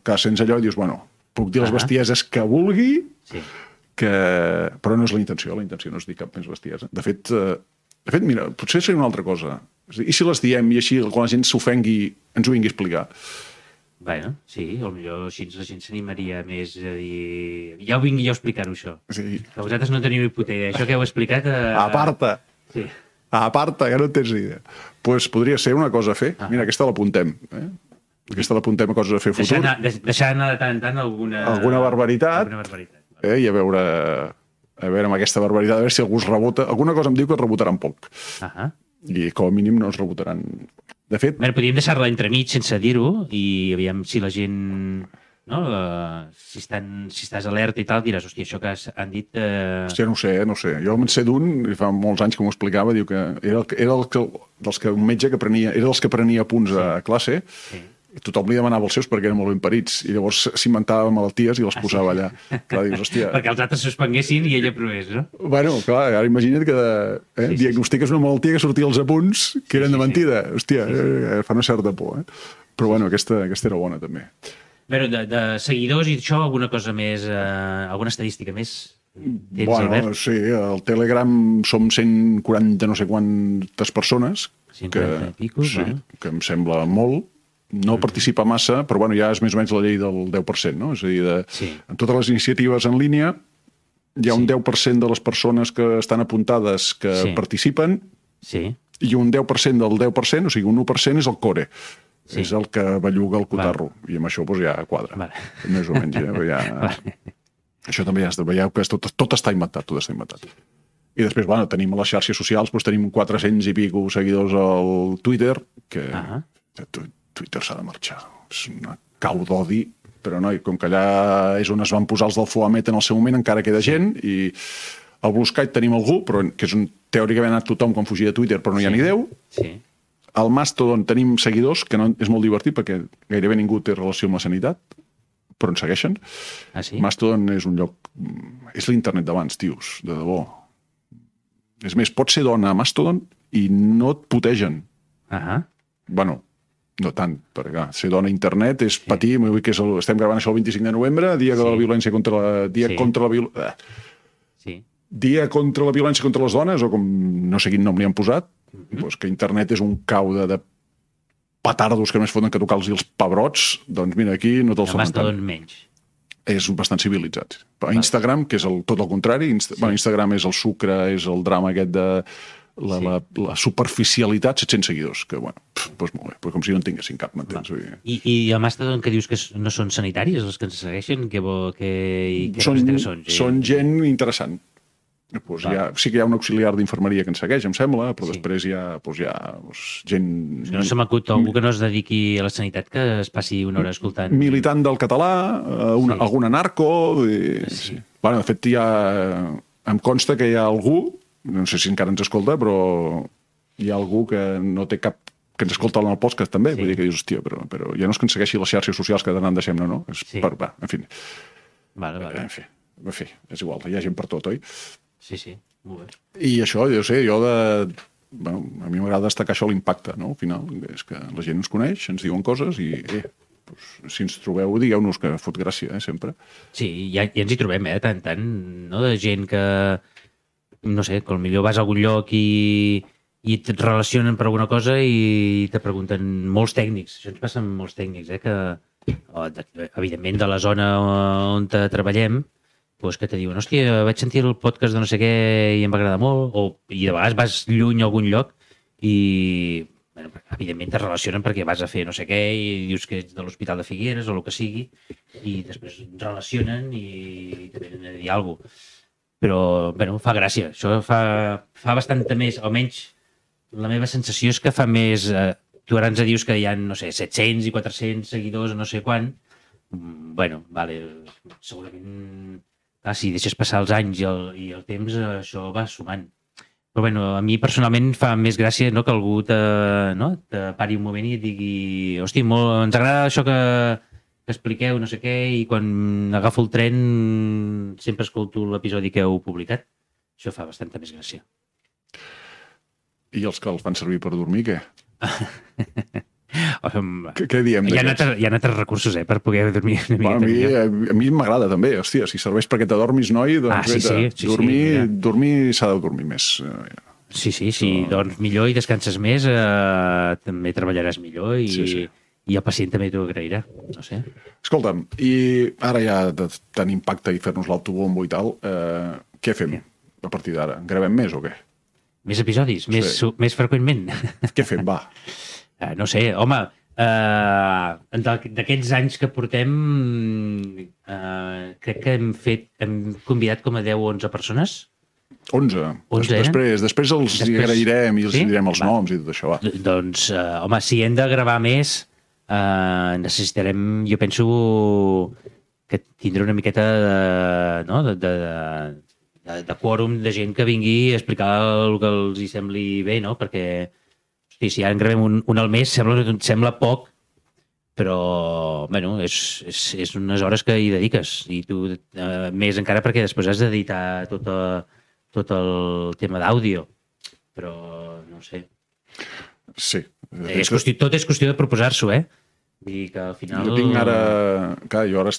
Que sents allò i dius, bueno, puc dir les bestieses que vulgui, però no és la intenció no és dir cap més bestiesa. De fet, mira, potser seria una altra cosa. I si les diem i així, quan la gent s'ofengui, ens ho vingui a explicar? Bueno, sí, potser així la gent s'animaria més a dir... Ja ho vingui jo a explicar-ho, això. Sí. Que vosaltres no teniu ni puta idea. Això que heu explicat... Aparta! Sí. Aparta, ja no tens idea. Doncs podria ser una cosa a fer. Mira, aquesta l'apuntem. Aquesta l'apuntem a coses a fer futur. Deixar anar de tant en tant alguna barbaritat. I a veure amb aquesta barbaritat, a veure si algú es rebota. Alguna cosa em diu que es rebotaran poc. I com a mínim no es rebotaran... De fet... Podríem deixar-la entremig sense dir-ho i aviam si la gent... No? Si estàs alerta i tal, diràs, hòstia, això que han dit... Hòstia, no ho sé. Jo en sé d'un, fa molts anys que m'ho explicava, diu que era un metge que prenia... Era dels que prenia punts a classe, i tothom li demanava els seus perquè eren molt ben parits, i llavors s'inventava malalties i les posava allà. Clar, dius, hòstia... Perquè els altres suspenguessin i ella provés, no? Bueno, clar, ara imagina't que diagnostiques una malaltia que sortia als apunts que eren de mentida. Hòstia, fa una certa por, Però bueno, aquesta era bona, també. Però de seguidors i això, alguna cosa més, alguna estadística més? Bueno, sí, al Telegram som 140 no sé quantes persones, que em sembla molt. No participa massa, però bueno, ja és més o menys la llei del 10%, no? És a dir, en totes les iniciatives en línia hi ha un 10% de les persones que estan apuntades que participen i un 10% del 10%, o sigui, un 1% és el core. És el que belluga el cotarro. I amb això ja quadra. Més o menys. Això també ja veieu que tot està inventat. I després, bueno, tenim a les xarxes socials, tenim 400 i pico seguidors al Twitter, que Twitter s'ha de marxar. És una cau d'odi, però no, com que allà és on es van posar els del Foamet en el seu moment, encara queda gent, i Al Blue Sky tenim algú, però que és on teòricament ha anat tothom quan fugia de Twitter, però no hi ha ni Déu. Sí. Al Mastodon tenim seguidors, que no, és molt divertit perquè gairebé ningú té relació amb la sanitat, però ens segueixen. Ah, sí? Mastodon és un lloc... És l'internet d'abans, tios, de debò. És més, pots ser dona a Mastodon i no et putegen. Bueno, no tant, perquè clar, ser dona a internet és patir, vull dir que estem gravant això el 25 de novembre, dia de la violència contra la... Dia contra la violència contra les dones, o com no sé quin nom li han posat, doncs que internet és un caude de petardos que només foten que tocar-los els pebrots, doncs mira, aquí no te'ls foten tant. Menys. És bastant civilitzat. Instagram, que és tot el contrari, Instagram és el sucre, és el drama aquest de la superficialitat, 700 seguidors, que bueno, doncs molt bé, però com si no en tinguessin cap, m'entens? I el Mastodon que dius que no són sanitaris els que ens segueixen? Són gent interessant. Pues sí que hi ha un auxiliar d'infermeria que ens segueix, em sembla, però després hi ha gent... No se m'acut algú que no es dediqui a la sanitat que es passi una hora escoltant... Militant del català, algun narco... Bueno, de fet, em consta que hi ha algú, no sé si encara ens escolta, però hi ha algú que no té cap... que ens escolta en el podcast també, vull dir que dius, hòstia, però ja no és que ens segueixi les xarxes socials que d'anar en deixem, no? En fi. En fi, és igual, hi ha gent per tot, oi? Sí, molt bé. I això, bueno, a mi m'agrada destacar això, l'impacte, no? Al final, és que la gent ens coneix, ens diuen coses i, si ens trobeu, digueu-nos que fot gràcia, sempre. Sí, ja ens hi trobem, tant, no? De gent que, no sé, que potser vas a algun lloc i et relacionen per alguna cosa i te pregunten molts tècnics. Això ens passa amb molts tècnics, evidentment de la zona on treballem, que te diuen, hòstia, vaig sentir el podcast de no sé què i em va agradar molt, i de vegades vas lluny a algun lloc i, evidentment, te relacionen perquè vas a fer no sé què i dius que ets de l'Hospital de Figueres o el que sigui, i després relacionen i te venen a dir alguna cosa. Però, fa gràcia. Això fa bastanta més, almenys la meva sensació és que fa més... Tu ara ens dius que hi ha, no sé, 700 i 400 seguidors o no sé quant. Segurament... si deixes passar els anys i el temps, això va sumant. Però a mi personalment fa més gràcia que algú te pari un moment i et digui hòstia, ens agrada això que expliqueu, no sé què, i quan agafo el tren sempre escolto l'episodi que heu publicat. Això fa bastanta més gràcia. I els que els fan servir per dormir, què? Què diem? Hi ha altres recursos per poder dormir una miqueta millor. A mi m'agrada també, hòstia, si serveix perquè t'adormis, noi, doncs dormir s'ha de dormir més. Sí, si dorms millor i descanses més, també treballaràs millor i el pacient també t'ho agrairà, no sé. Escolta'm, i ara ja de tant impacte i fer-nos l'autobombo i tal, què fem a partir d'ara? Gravem més o què? Més episodis? Més freqüentment? Què fem, va? No sé, home, d'aquests anys que portem, crec que hem convidat com a 10 o 11 persones. 11? Després els agrairem i els direm els noms i tot això, va. Doncs, home, si hem de gravar més, necessitarem, jo penso, que tindré una miqueta de quòrum de gent que vingui a explicar el que els hi sembli bé, no? Perquè si ara en gravem un al mes sembla poc, però és unes hores que hi dediques i tu més encara perquè després has d'editar tot el tema d'àudio, però no sé. Sí. Tot és qüestió de proposar-s'ho, Vull dir que al final... Jo tinc ara... Clar, jo ara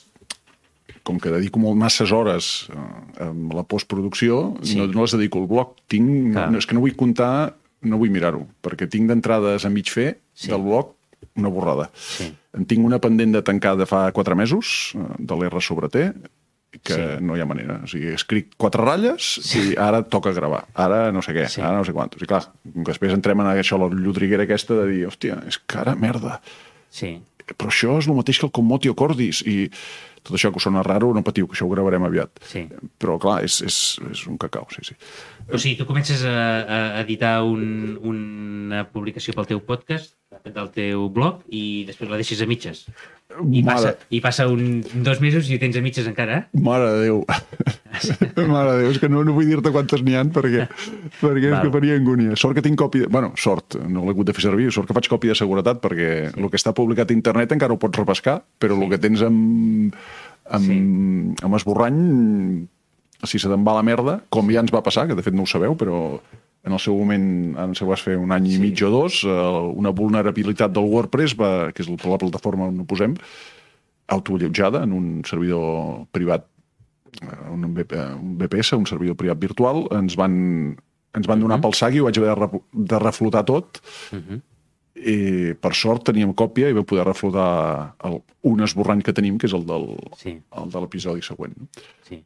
com que dedico masses hores a la postproducció, no les dedico al blog. És que no vull comptar... No vull mirar-ho, perquè tinc d'entrades a mig fer del blog una borrada. En tinc una pendent de tancar de fa 4 mesos, de l'R sobre T, que no hi ha manera. O sigui, escric 4 ratlles i ara toca gravar. Ara no sé què, ara no sé quantos. I clar, després entrem en això, la llodriguera aquesta de dir, hòstia, és que ara merda. Però això és el mateix que el Commotio Cordis i tot això que us sona raro, no patiu, que això ho gravarem aviat. Però clar, és un cacau, sí. O sigui, tu comences a editar una publicació pel teu podcast, del teu blog, i després la deixes a mitges. I passa 2 mesos i ho tens a mitges encara. Mare de Déu. Mare de Déu, és que no vull dir-te quantes n'hi ha perquè és que faria angúnia. Sort que tinc còpia... Bueno, sort, no l'he hagut de fer servir, sort que faig còpia de seguretat perquè el que està publicat a internet encara ho pots repescar, però el que tens amb esborrany, si se te'n va la merda, com ja ens va passar, que de fet no ho sabeu, però en el seu moment, ara se vas fer un any i mig o dos, una vulnerabilitat del WordPress, que és la plataforma on ho posem, autoallotjada en un servidor privat, un VPS, un servidor privat virtual, ens van donar pel sac i ho vaig haver de reflotar tot. I per sort teníem còpia i vam poder reflotar un esborrany que tenim, que és el de l'episodi següent. Sí.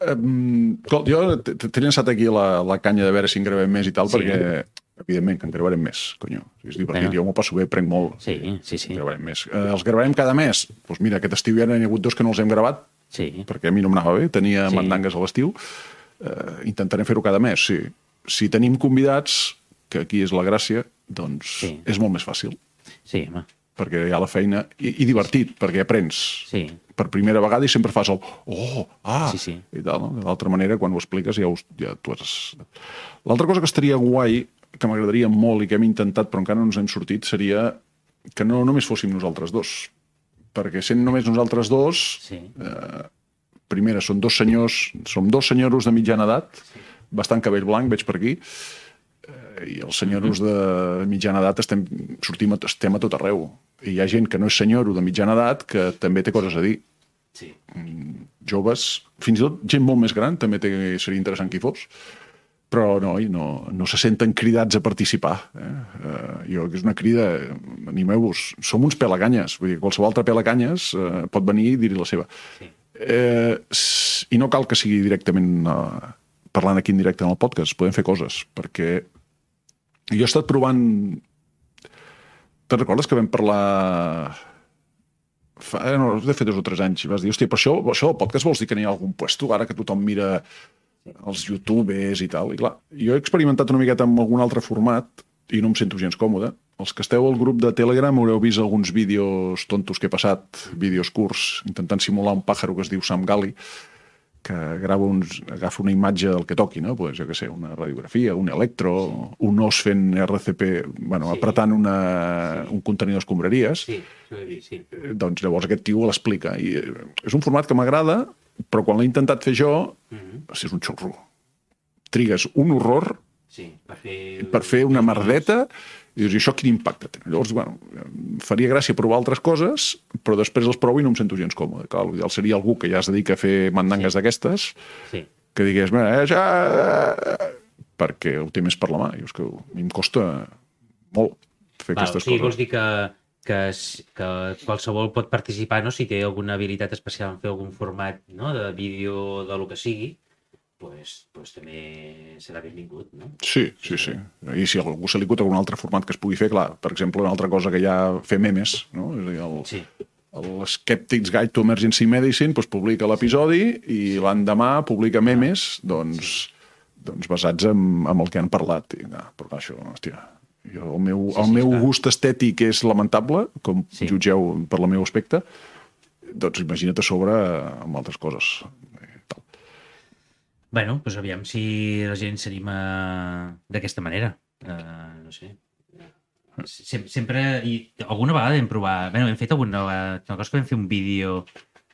Jo t'he llançat aquí la canya de veure si en gravem més i tal, perquè evidentment que en gravarem més, conyo. És divertit, jo m'ho passo bé, prenc molt. Sí. En gravarem més. Els gravarem cada mes. Doncs mira, aquest estiu ja n'hi ha hagut 2 que no els hem gravat, perquè a mi no m'anava bé, tenia mandangues a l'estiu. Intentarem fer-ho cada mes, sí. Si tenim convidats, que aquí és la gràcia, doncs és molt més fàcil. Sí, home. Perquè hi ha la feina, i divertit, perquè aprens. Sí. Per primera vegada i sempre fas el sí. I tal, no? D'altra manera, quan ho expliques ja tu has... L'altra cosa que estaria guai, que m'agradaria molt i que hem intentat però encara no ens hem sortit, seria que no només fóssim nosaltres dos. Perquè sent només nosaltres dos, primera, som 2 senyoros de mitjana edat, bastant cabell blanc, veig per aquí, i els senyoros de mitjana edat estem a tot arreu. I hi ha gent que no és senyoro de mitjana edat que també té coses a dir. Sí. Joves, fins i tot gent molt més gran, també seria interessant qui fos, però no se senten cridats a participar. Jo, que és una crida, animeu-vos, som uns pelaganyes, vull dir, qualsevol altre pelaganyes pot venir i dir-hi la seva. I no cal que sigui directament parlant aquí en directe en el podcast, podem fer coses, perquè jo he estat provant... Te'n recordes que vam parlar... No, de fet 2 o 3 anys, i vas dir, hòstia, per això el podcast vols dir que n'hi ha algun puesto, ara que tothom mira els youtubers i tal, i clar, jo he experimentat una miqueta amb algun altre format i no em sento gens còmode. Els que esteu al grup de Telegram haureu vist alguns vídeos tontos que he passat, vídeos curts, intentant simular un pàjaro que es diu Sam Gali, que agafa una imatge del que toqui, no? Pues, jo què sé, una radiografia, un electro, un os fent RCP, apretant un contenidor d'escombraries. Sí. Doncs llavors aquest tio l'explica. I és un format que m'agrada, però quan l'he intentat fer jo, és un xorro. Trigues un horror per fer una merdeta i dius, això quin impacte té? Llavors, faria gràcia provar altres coses, però després els provo i no em sento gens còmode. Clar, l'ideal seria algú que ja es dedica a fer mandangues d'aquestes, que digués, perquè ho té més per la mà. I és que a mi em costa molt fer aquestes coses. Vols dir que qualsevol pot participar, no? Si té alguna habilitat especial en fer algun format, no? De vídeo, de lo que sigui, pues també serà benvingut, no? Sí. I si a algú se li acut algun altre format que es pugui fer, clar, per exemple, una altra cosa que ja fer memes, no? És a dir, l'Skeptic's Guide to Emergency Medicine publica l'episodi i l'endemà publica memes, doncs basats en el que han parlat. Però això, hòstia, el meu gust estètic és lamentable, com jutgeu per el meu aspecte, doncs imagina't a sobre amb altres coses. Bueno, doncs aviam si la gent s'anima d'aquesta manera. No sé. Sempre... I alguna vegada hem provat... Hem fet alguna vegada... Una cosa que vam fer un vídeo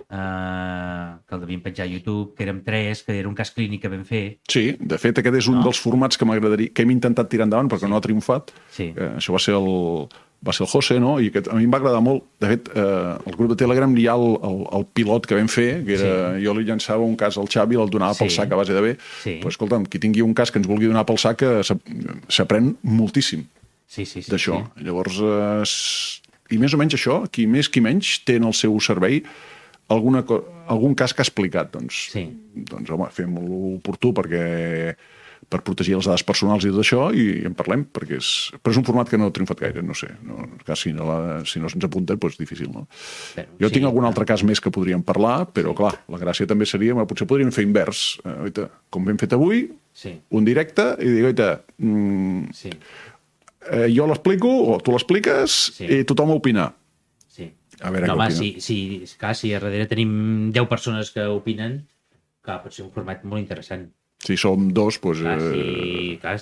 que el devíem penjar a YouTube, que érem 3, que era un cas clínic que vam fer. Sí, de fet aquest és un dels formats que m'agradaria, que hem intentat tirar endavant perquè no ha triomfat. Això va ser el José, no? I a mi em va agradar molt. De fet, al grup de Telegram hi ha el pilot que vam fer, que era, jo li llançava un cas al Xavi i el donava pel sac a base de bé. Però, escolta'm, qui tingui un cas que ens vulgui donar pel sac s'aprèn moltíssim d'això. Llavors, i més o menys això, qui més qui menys té en el seu servei algun cas que ha explicat. Doncs home, fem-lo oportú per protegir les dades personals i tot això, i en parlem, però és un format que no ha triomfat gaire, no sé. Si no se'ns apunta, doncs difícil, no? Jo tinc algun altre cas més que podríem parlar, però clar, la gràcia també seria, potser podríem fer invers. Com hem fet avui, un directe, i dir, jo l'explico, o tu l'expliques, i tothom a opinar. A veure què opina. Si a darrere tenim 10 persones que opinen, Clar, pot ser un format molt interessant. Si som dos, doncs...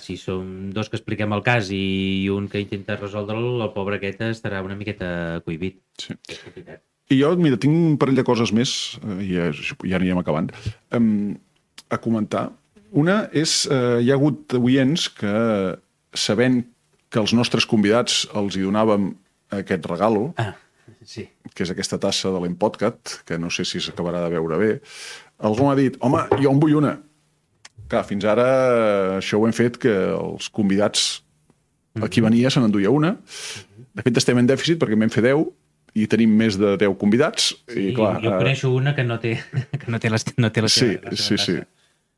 Si som dos que expliquem el cas i un que intenta resoldre'l, el pobre aquest estarà una miqueta cohibit. Sí. És complicat. I jo, mira, tinc un parell de coses més, ja anirem acabant, a comentar. Una és, hi ha hagut oients que, sabent que els nostres convidats els hi donàvem aquest regalo, que és aquesta tassa de l'Empodcat, que no sé si s'acabarà de veure bé, algú m'ha dit, home, jo en vull una. Clar, fins ara això ho hem fet que els convidats, qui venia se n'enduia una. De fet, estem en dèficit perquè en vam fer 10 i tenim més de 10 convidats. Sí, i clar, jo coneixo una que no té la seva tassa.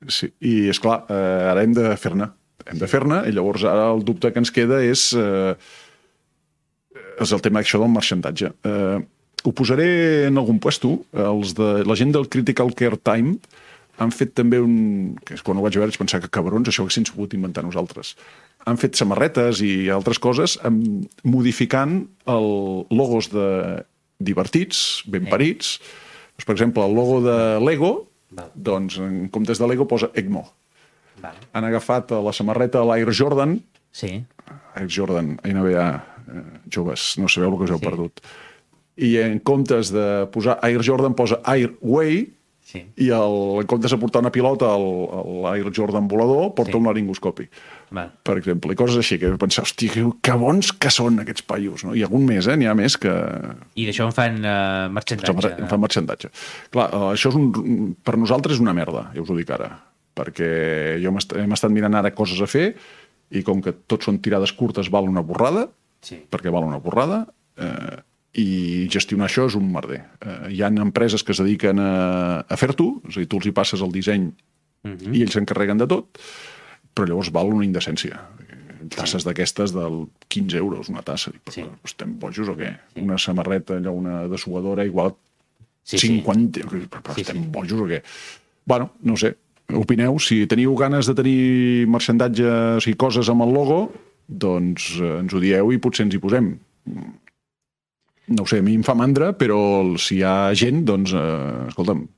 Sí, i esclar, ara hem de fer-ne. I llavors ara el dubte que ens queda és el tema d'això del marxandatge. Ho posaré en algun puesto. La gent del Critical Care Time han fet també que és quan ho vaig veure vaig pensar que cabrons, això que s'hem pogut inventar nosaltres. Han fet samarretes i altres coses modificant logos divertits, ben parits. Per exemple, el logo de Lego, doncs en comptes de Lego posa ECMO. Han agafat la samarreta de l'Air Jordan. Sí. Air Jordan, NBA, joves, no sabeu el que us heu perdut. I en comptes de posar Air Jordan posa Airway. Sí. I en comptes de portar una pilota l'Air Jordan volador, porta un laringoscopi, per exemple. I coses així, que pensar, hòstia, que bons que són aquests paios, no? I algun més, n'hi ha més que... I d'això en fan marxandatge. En fan marxandatge. Clar, això per nosaltres és una merda, ja us ho dic ara, perquè hem estat mirant ara coses a fer i com que tot són tirades curtes val una borrada, perquè val una borrada, i gestionar això és un merder. Hi ha empreses que es dediquen a fer-t'ho, és a dir, tu els hi passes el disseny i ells s'encarreguen de tot, però llavors val una indecència. Tasses d'aquestes del 15 euros, una tassa. Estem bojos o què? Una samarreta, allò, una dessuadora, igual 50... Però estem bojos o què? Bueno, no sé. Opineu, si teniu ganes de tenir marxandatge, o sigui, coses amb el logo, doncs ens ho dieu i potser ens hi posem. No ho sé, a mi em fa mandra, però si hi ha gent, doncs, escolta'm,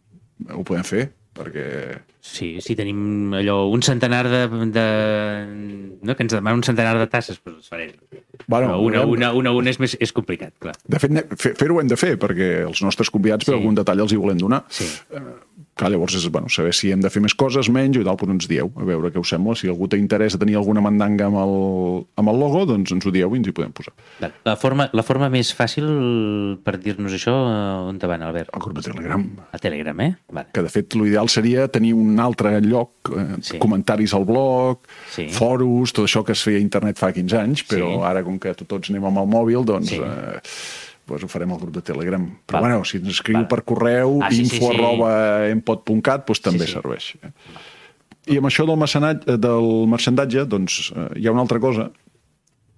ho podem fer, perquè... Sí, si tenim allò, un centenar no, que ens demana un centenar de tasses, doncs les farem. Bueno, una és complicat, clar. De fet, fer-ho hem de fer, perquè els nostres convidats per algun detall els hi volem donar. Sí. Clar, llavors és saber si hem de fer més coses, menys, i tal, però ens dieu, a veure què us sembla. Si algú té interès de tenir alguna mandanga amb el logo, doncs ens ho dieu i ens hi podem posar. La forma més fàcil per dir-nos això, on te van, Albert? Al grup de Telegram. A Telegram, eh? Vale. Que, de fet, l'ideal seria tenir un altre lloc, comentaris al blog, foros, tot això que es feia a internet fa 15 anys, però ara, com que tots anem amb el mòbil, doncs... ho farem al grup de Telegram. Però, bueno, si ens escriu per correu, info@empod.cat, doncs també serveix. I amb això del marxandatge, doncs, hi ha una altra cosa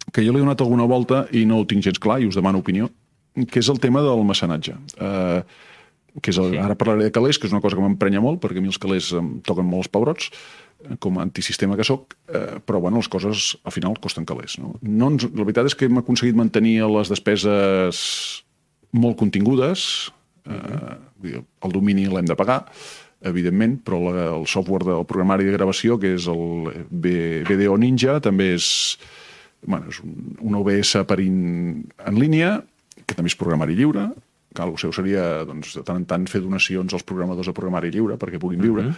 que jo l'he donat alguna volta i no ho tinc gens clar i us demano opinió, que és el tema del mecenatge. Ara parlaré de calés, que és una cosa que m'emprenya molt, perquè a mi els calés em toquen molt els pebrots, com a antisistema que soc, però bueno, les coses al final costen calés. La veritat és que hem aconseguit mantenir les despeses molt contingudes, el domini l'hem de pagar, evidentment, però el software del programari de gravació, que és el VDO Ninja, també és un OBS en línia, que també és programari lliure. El seu seria, doncs, de tant en tant fer donacions als programadors de programari lliure perquè puguin viure.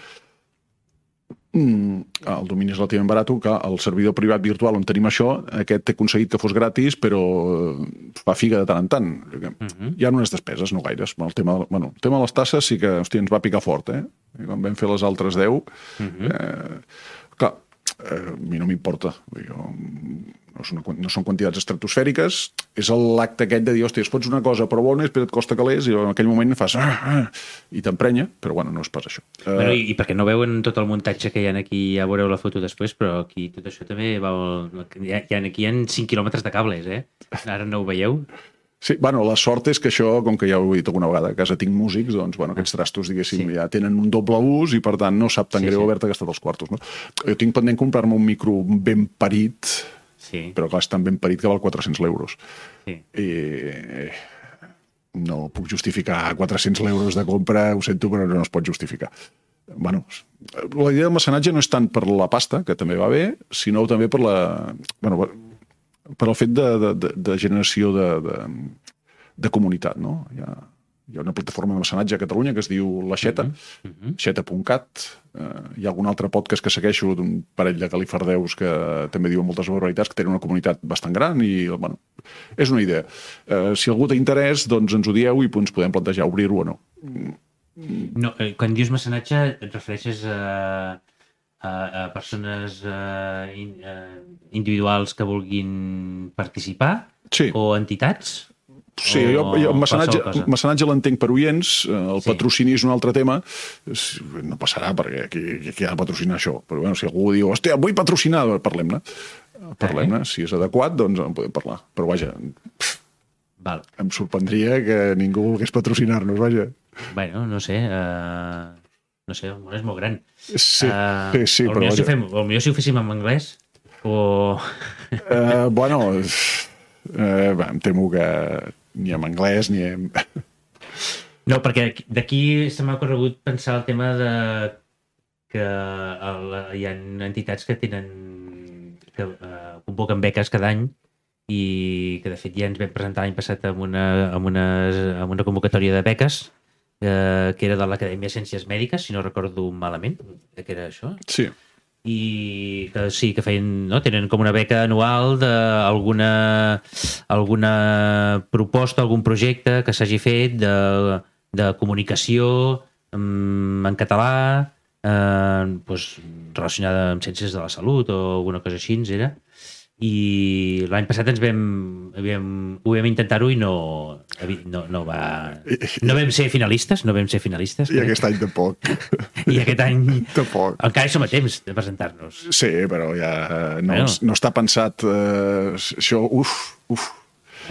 El domini és relativament barat, que el servidor privat virtual on tenim això, aquest he aconseguit que fos gratis, però fa figa de tant en tant. Hi ha unes despeses, no gaires. El tema de les tasses sí que ens va picar fort, I quan vam fer les altres 10, clar, a mi no m'importa. No són quantitats estratosfèriques, és l'acte aquest de dir, hòstia, es fots una cosa però bona, però et costa calés, i en aquell moment fas i t'emprenya, però bueno, no és pas això. I perquè no veuen tot el muntatge que hi ha aquí, ja veureu la foto després, però aquí tot això també aquí hi ha 5 quilòmetres de cables, Ara no ho veieu? Sí, la sort és que això, com que ja ho he dit alguna vegada, a casa tinc músics, doncs, aquests trastos, diguéssim, ja tenen un doble ús i, per tant, no sap tan greu haver-te gastat els quartos, no? Jo tinc pendent comprar-me un micro ben parit, però clar, és tan ben parit que val 400 euros. I no puc justificar 400 euros de compra, ho sento, però no es pot justificar. Bueno, la idea del mecenatge no és tant per la pasta, que també va bé, sinó també per el fet de generació de comunitat, no? Hi ha una plataforma de mecenatge a Catalunya que es diu La Xeta, xeta.cat. Hi ha algun altre podcast que segueixo d'un parell de califardeus que també diuen moltes barbaritats, que tenen una comunitat bastant gran i, bueno, és una idea. Si algú té interès, doncs ens ho dieu i ens podem plantejar obrir-ho o no. No, quan dius mecenatge et refereixes a persones individuals que vulguin participar? Sí. O entitats? Sí, jo el mecenatge l'entenc per oients, el patrocini és un altre tema, no passarà perquè qui ha de patrocinar això, però bueno, si algú diu, hòstia, vull patrocinar, parlem-ne, si és adequat, doncs en podem parlar, però vaja, em sorprendria que ningú volgués patrocinar-nos, vaja. Bueno, no sé, el món és molt gran. Sí, però vaja. Potser si ho féssim en anglès, o... Bueno, em temo que ni en anglès ni en... No, perquè d'aquí se m'ha corregut pensar el tema de que hi ha entitats que convoquen beques cada any i que de fet ja ens vam presentar l'any passat amb una convocatòria de beques que era de l'Acadèmia de Ciències Mèdiques, si no recordo malament, que era això. Sí. I que sí, que feien, no? Tenen com una beca anual d'alguna proposta, algun projecte que s'hagi fet de comunicació en català, relacionada amb ciències de la salut o alguna cosa així, era. I l'any passat ho vam intentar-ho i no vam ser finalistes. I aquest any tampoc. I aquest any tampoc. Encara som a temps de presentar-nos. Sí, però ja no està pensat això,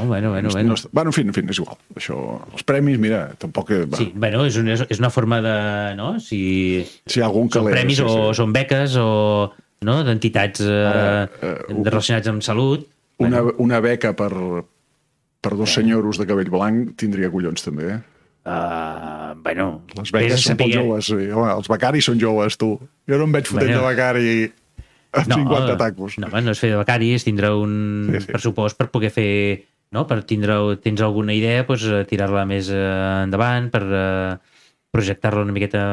Bueno. No, en fi, és igual. Això, els premis, mira, tampoc... Sí, bueno, és una forma de... No? Si hi ha algun són premis o són beques o... No? D'entitats relacionats amb salut. Una beca per dos senyoros de cabell blanc tindria collons, també. Bueno... Les beques són poc joves. Els becaris són joves, tu. Jo no em veig fotent de becari amb 50 tacos. No és fer de becari, és tindre un pressupost per poder fer... No? Tens alguna idea, tirar-la més endavant, per projectar-la una miqueta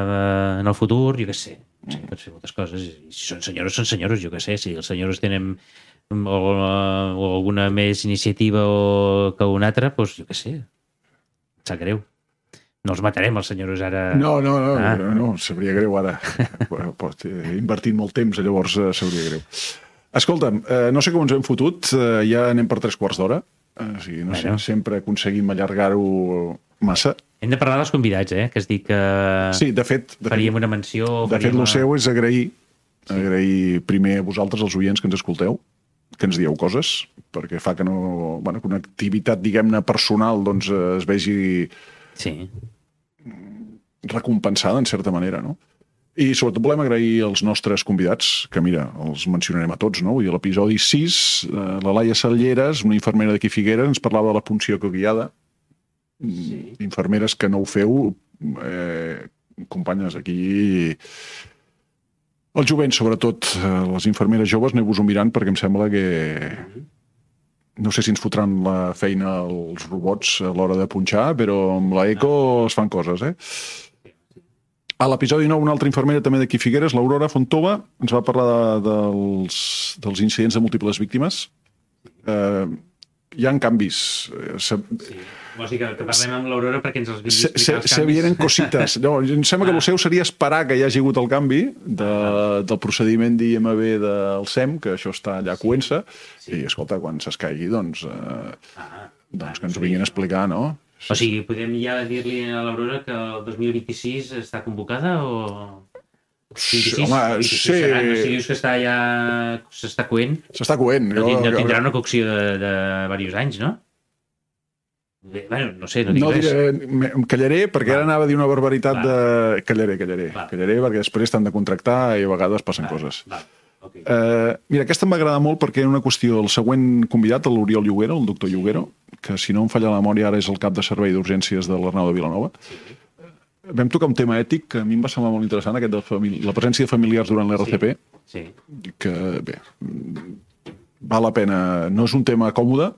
en el futur, jo què sé. Sí, pots fer moltes coses. I si són senyors, jo què sé. Si els senyors tenen o alguna més iniciativa que una altra, doncs jo què sé. Em sap greu. No els matarem, els senyors, ara... No, sabria greu ara. Invertint molt temps, llavors sabria greu. Escolta'm, no sé com ens hem fotut, ja anem per 3/4 d'hora. O sigui, no sé, sempre aconseguim allargar-ho massa. Hem de parlar dels convidats, que has dit que de fet, faríem una menció... De fet, el seu és agrair primer a vosaltres, els oients que ens escolteu, que ens dieu coses, perquè fa que que una activitat, diguem-ne, personal doncs es vegi recompensada, en certa manera, no? I sobretot volem agrair als nostres convidats, que mira, els mencionarem a tots, no? Vull dir, l'episodi 6, la Laia Salleres, una infermera d'aquí Figueres, ens parlava de la punció coguiada. Infermeres que no ho feu, companyes, aquí el jovent, sobretot les infermeres joves, aneu-vos-ho mirant perquè em sembla que no sé si ens fotran la feina els robots a l'hora de punxar, però amb l'eco es fan coses, A l'episodi 9, una altra infermera també d'aquí Figueres, l'Aurora Fontova, ens va parlar dels incidents de múltiples víctimes. Hi ha canvis. Vols dir que parlem amb l'Aurora perquè ens els vingui a explicar els canvis? Se vienen cosites. No, em sembla que el seu seria esperar que hi hagi hagut el canvi del procediment d'IMB del SEM, que això està allà coent-se, i escolta, quan s'escaigui, doncs que ens ho vinguin a explicar, no? O sigui, podem ja dir-li a l'Aurora que el 2026 està convocada o... 26? Home, sí. Si dius que s'està coent... S'està coent. No tindrà una cocció de diversos anys, no? Bueno, no sé, no dic res. Em callaré perquè ara anava a dir una barbaritat de... Callaré, perquè després t'han de contractar i a vegades passen coses. Okay. Mira, aquesta em va agradar molt perquè era una qüestió. El següent convidat, l'Oriol Lloguero, el doctor Lloguero, que si no em falla la memòria ara és el cap de servei d'urgències de l'Arnau de Vilanova, vam tocar un tema ètic que a mi em va semblar molt interessant, aquest de la presència de familiars durant l'RCP, que, bé, val la pena. No és un tema còmode,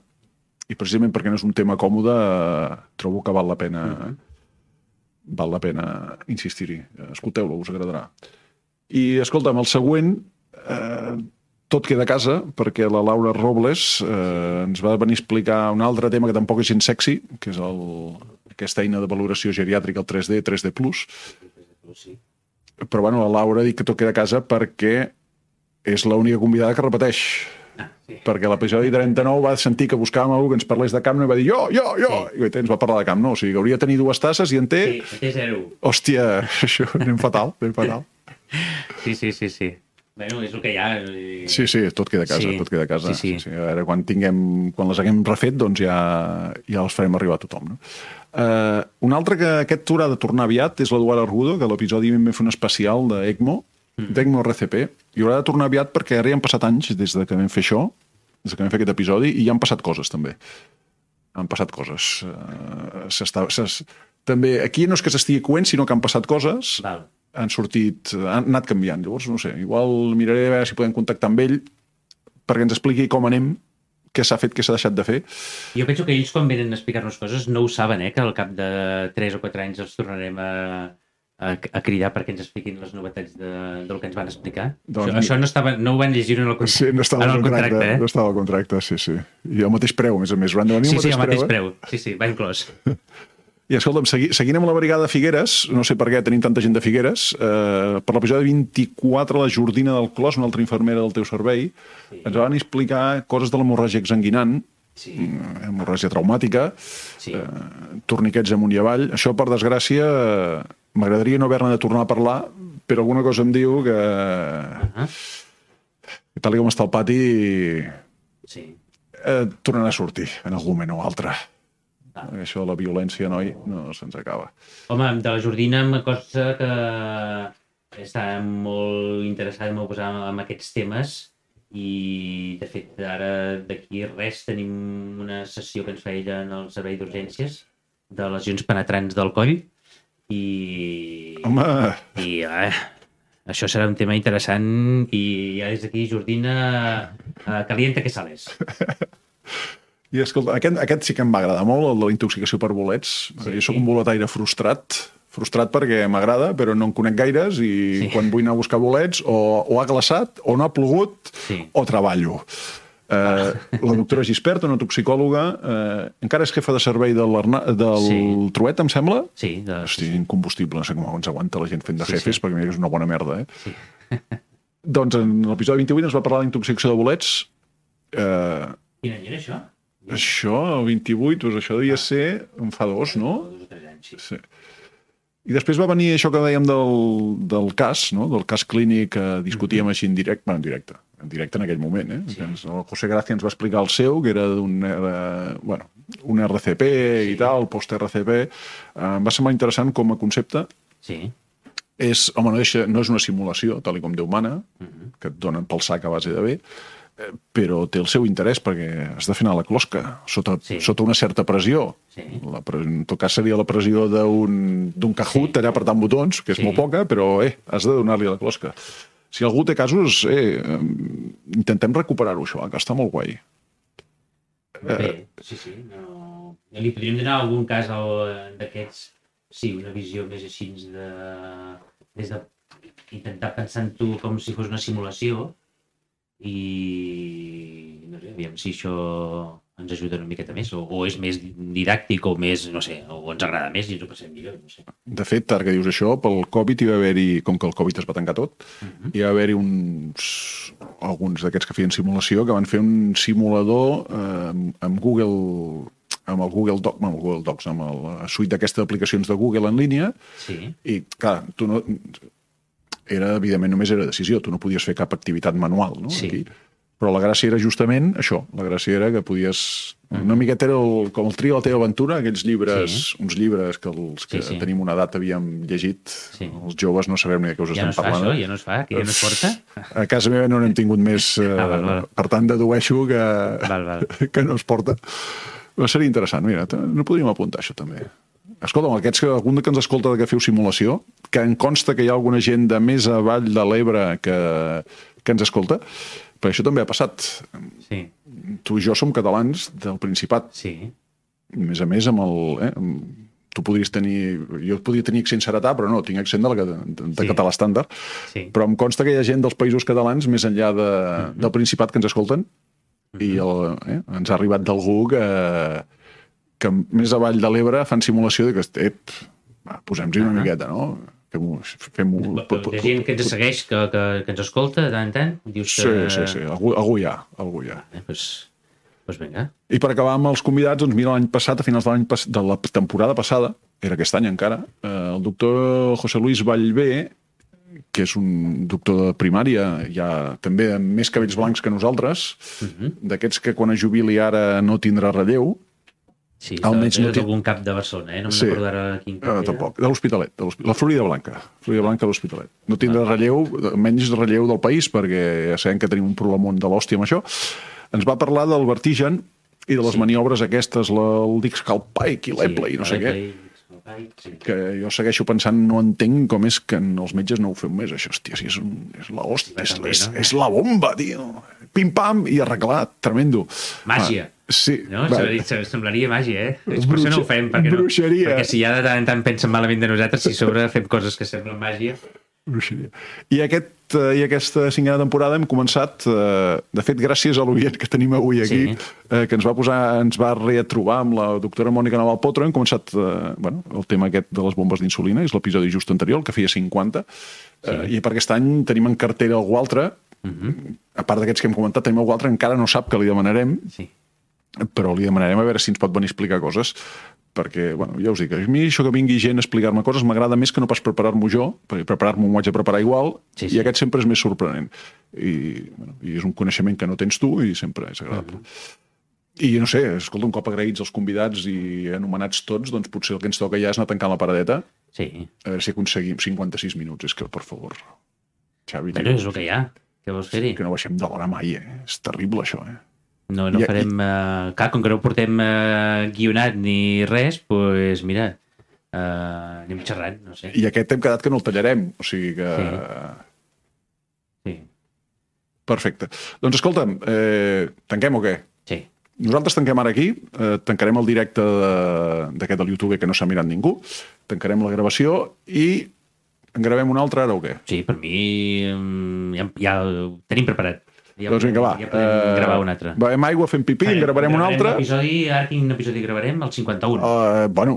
i precisament perquè no és un tema còmode, trobo que val la pena insistir-hi. Escolteu-lo, us agradarà. I, escolta'm, el següent, tot queda a casa, perquè la Laura Robles ens va venir a explicar un altre tema que tampoc és gens sexy, que és aquesta eina de valoració geriàtrica, el 3D+. Però, bueno, la Laura ha dit que tot queda a casa perquè és l'única convidada que repeteix. Perquè a l'episodi 39 va sentir que buscàvem algú que ens parlés de Camp Nou i va dir jo! I ens va parlar de Camp Nou. O sigui, que hauria de tenir 2 tasses i en té... Sí, té 0. Hòstia, això anem fatal. Sí. Bueno, és el que hi ha. Sí, tot queda a casa. Sí. A veure, quan les haguem refet, doncs ja els farem arribar a tothom, no? Un altre que aquest haurà de tornar aviat és l'Eduard Argudo, que a l'episodi vam fer un especial d'ECMO, d'ECMO RCP, i haurà de tornar aviat perquè ara ja han passat anys des de que vam fer això, des que vam fer aquest episodi, i ja han passat coses, també. Han passat coses. També, aquí no és que s'estigui coent, sinó que han passat coses... Val. Han anat canviant. Llavors, no sé, igual miraré a veure si podem contactar amb ell perquè ens expliqui com anem, què s'ha fet, què s'ha deixat de fer. Jo penso que ells, quan venen a explicar-nos coses, no ho saben, que al cap de 3 o 4 anys els tornarem a cridar perquè ens expliquin les novetats del que ens van explicar. Doncs, això no ho van llegir en el contracte. Sí, no estava al contracte, no estava al contracte, sí. I al mateix preu, a més a més. Sí, al mateix preu. Sí, va inclòs. I escolta'm, seguint amb la brigada de Figueres, no sé per què tenim tanta gent de Figueres, per l'episodi 24, la Jordina del Clos, una altra infermera del teu servei, ens van explicar coses de l'hemorràgia exsanguinant, hemorràgia traumàtica, torniquets amunt i avall. Això, per desgràcia, m'agradaria no haver-ne de tornar a parlar, però alguna cosa em diu que tal com està el pati tornarà a sortir en algun moment o altre. Això de la violència, noi, no se'ns acaba. Home, de la Jordina em consta que està molt interessada en posar en aquests temes i, de fet, ara d'aquí res tenim una sessió que ens fa ella en el servei d'urgències de lesions penetrants del coll i... Home! Això serà un tema interessant i ja des d'aquí, Jordina, calienta que sales. I escolta, aquest sí que em va agradar molt, el de la intoxicació per bolets. Jo soc un boletaire frustrat perquè m'agrada, però no en conec gaires i quan vull anar a buscar bolets o ha glaçat, o no ha plogut, o treballo. La doctora Gispert, una toxicòloga, encara és jefa de servei del Truet, em sembla? Sí. Hosti, incombustible, no sé com ens aguanta la gent fent de jefes, perquè mira que és una bona merda, Doncs en l'episodi 28 ens va parlar d'intoxicació de bolets. Quin any era això? Això, el 28, doncs això devia ser en fa 2, no? 2 o 3 anys, sí. I després va venir això que dèiem del cas, no? Del cas clínic que discutíem així en directe, en directe en aquell moment, El José Gracia ens va explicar el seu, que era un RCP i tal, post-RCP. Em va semblar interessant com a concepte. Sí. Home, no és una simulació, tal com Déu mana, que et donen pel sac a base de bé, però té el seu interès perquè has de fer anar la closca sota una certa pressió. En tot cas seria la pressió d'un Kahoot allà apretant botons, que és molt poca, però has de donar-li la closca. Si algú té casos, intentem recuperar-ho, això, que està molt guai. Bé, sí. No... Li podríem donar algun cas d'aquests, una visió més així des de intentar pensar en tu com si fos una simulació i no sé, aviam si això ens ajuda una miqueta més o és més didàctic o més, no sé, o ens agrada més i ens ho passem millor, no sé. De fet, ara que dius això, pel Covid hi va haver-hi, com que el Covid es va tancar tot, hi va haver-hi alguns d'aquests que feien simulació que van fer un simulador amb Google, amb el Google Docs, amb la suite d'aquestes aplicacions de Google en línia, i clar, tu no... evidentment només era decisió, tu no podies fer cap activitat manual, no? Aquí. Però la gràcia era justament això, la gràcia era que podies... Una miqueta era com el Trio de la teva aventura, aquells llibres, uns llibres que els que tenim una edat havíem llegit, els joves no sabem ni de què us estem parlant. Ja no es fa, que ja no es porta? A casa meva no n'hem tingut més, per tant dedueixo que no es porta. Però seria interessant, mira, no podríem apuntar això també. Escolta'm, algun que ens escolta que feu simulació, que em consta que hi ha alguna gent de més avall de l'Ebre que ens escolta, perquè això també ha passat. Sí. Tu i jo som catalans del Principat. Sí. A més amb el... Tu podries tenir... Jo podria tenir accent seretà, però no, tinc accent de català estàndard. Sí. Però em consta que hi ha gent dels països catalans més enllà del Principat que ens escolten i ens ha arribat d'algú que més avall de l'Ebre fan simulació de que posem-hi una miqueta, no? Fem-ho... Hi ha gent que ens segueix, que ens escolta de tant en tant? Dius que... Sí. Algú hi ha. Doncs vinga. I per acabar amb els convidats, doncs mira, l'any passat, a finals de la temporada passada, era aquest any encara, el doctor José Luis Vallvé, que és un doctor de primària, ja també amb més cabells blancs que nosaltres, d'aquests que quan es jubili ara no tindrà relleu. Sí, és algun cap de Barcelona, no me'n recordo ara quin cap era. Tampoc, de l'Hospitalet, la Florida Blanca de l'Hospitalet. No tindrà relleu, menys relleu del país, perquè ja sabem que tenim un problemon de l'hòstia amb això. Ens va parlar del vertigen i de les maniobres aquestes, el Dix-Calpike i l'Eple i no sé què. Que jo segueixo pensant, no entenc com és que els metges no ho fem més, això, hòstia, és la hòstia, és la bomba, tio. Pim-pam i arreglat, tremendo. Màgia. Sí. No? Semblaria màgia, eh? Per això no ho fem, perquè si ja de tant en tant pensen malament de nosaltres, si sobre fem coses que semblen màgia... Bruixeria. I aquesta cinquena temporada hem començat, de fet, gràcies a l'oient que tenim avui aquí, que ens va retrobar amb la doctora Mònica Naval Potro, hem començat el tema aquest de les bombes d'insulina, és l'episodi just anterior, el que feia 50, i per aquest any tenim en cartera algú altre, a part d'aquests que hem comentat, tenim algú altre, encara no sap que li demanarem, però li demanarem a veure si ens pot venir a explicar coses, perquè, ja us dic, a mi això que vingui gent a explicar-me coses m'agrada més que no pas preparar-m'ho jo, perquè preparar-m'ho m'ho haig de preparar igual, i aquest sempre és més sorprenent. I és un coneixement que no tens tu i sempre és agradable. I no sé, escolta, un cop agraïts els convidats i anomenats tots, doncs potser el que ens toca ja és anar tancant la paradeta, a veure si aconseguim 56 minuts, és que, per favor, Xavi... Però és el que hi ha, què vols fer-hi? Que no baixem de l'hora mai, és terrible això, No farem... Clar, com que no ho portem guionat ni res, doncs mira, anem xerrant, no sé. I aquest hem quedat que no el tallarem, o sigui que... Sí. Perfecte. Doncs escolta'm, tanquem o què? Sí. Nosaltres tanquem ara aquí, tancarem el directe d'aquest del YouTube que no s'ha mirat ningú, tancarem la gravació i en gravem una altra ara o què? Sí, per mi ja ho tenim preparat. Doncs vinga, va. Ja podem gravar un altre. Bevem aigua, fem pipí, en gravarem un altre. Ara quin episodi gravarem? El 51?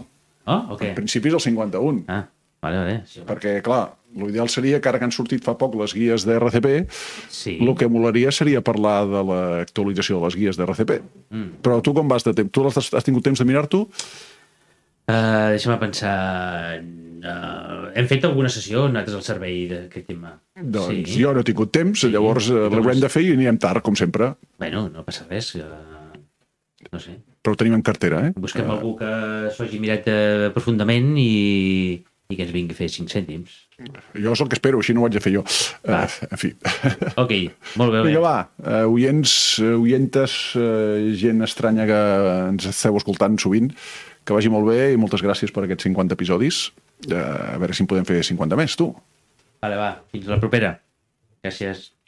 En principi és el 51. Vale. Sí, perquè, clar, l'ideal seria que ara que han sortit fa poc les guies d'RCP, el que molaria seria parlar de l'actualització de les guies d'RCP. Però tu com vas de temps? Tu has tingut temps de mirar-t'ho? Deixa'm pensar... hem fet alguna sessió nosaltres al servei d'aquest tema. Doncs jo no he tingut temps, llavors l'haurem de fer i anirem tard, com sempre. Bueno, no passa res, no sé. Però ho tenim en cartera, Busquem algú que s'ho hagi mirat profundament i que ens vingui a fer 5 cèntims. Jo és el que espero, així no ho haig de fer jo. En fi. Ok, molt bé. Vinga, va, oientes, gent estranya que ens esteu escoltant sovint, que vagi molt bé i moltes gràcies per aquests 50 episodis. A veure si en podem fer 50 més, tu. Vale, va, fins la propera. Gràcies.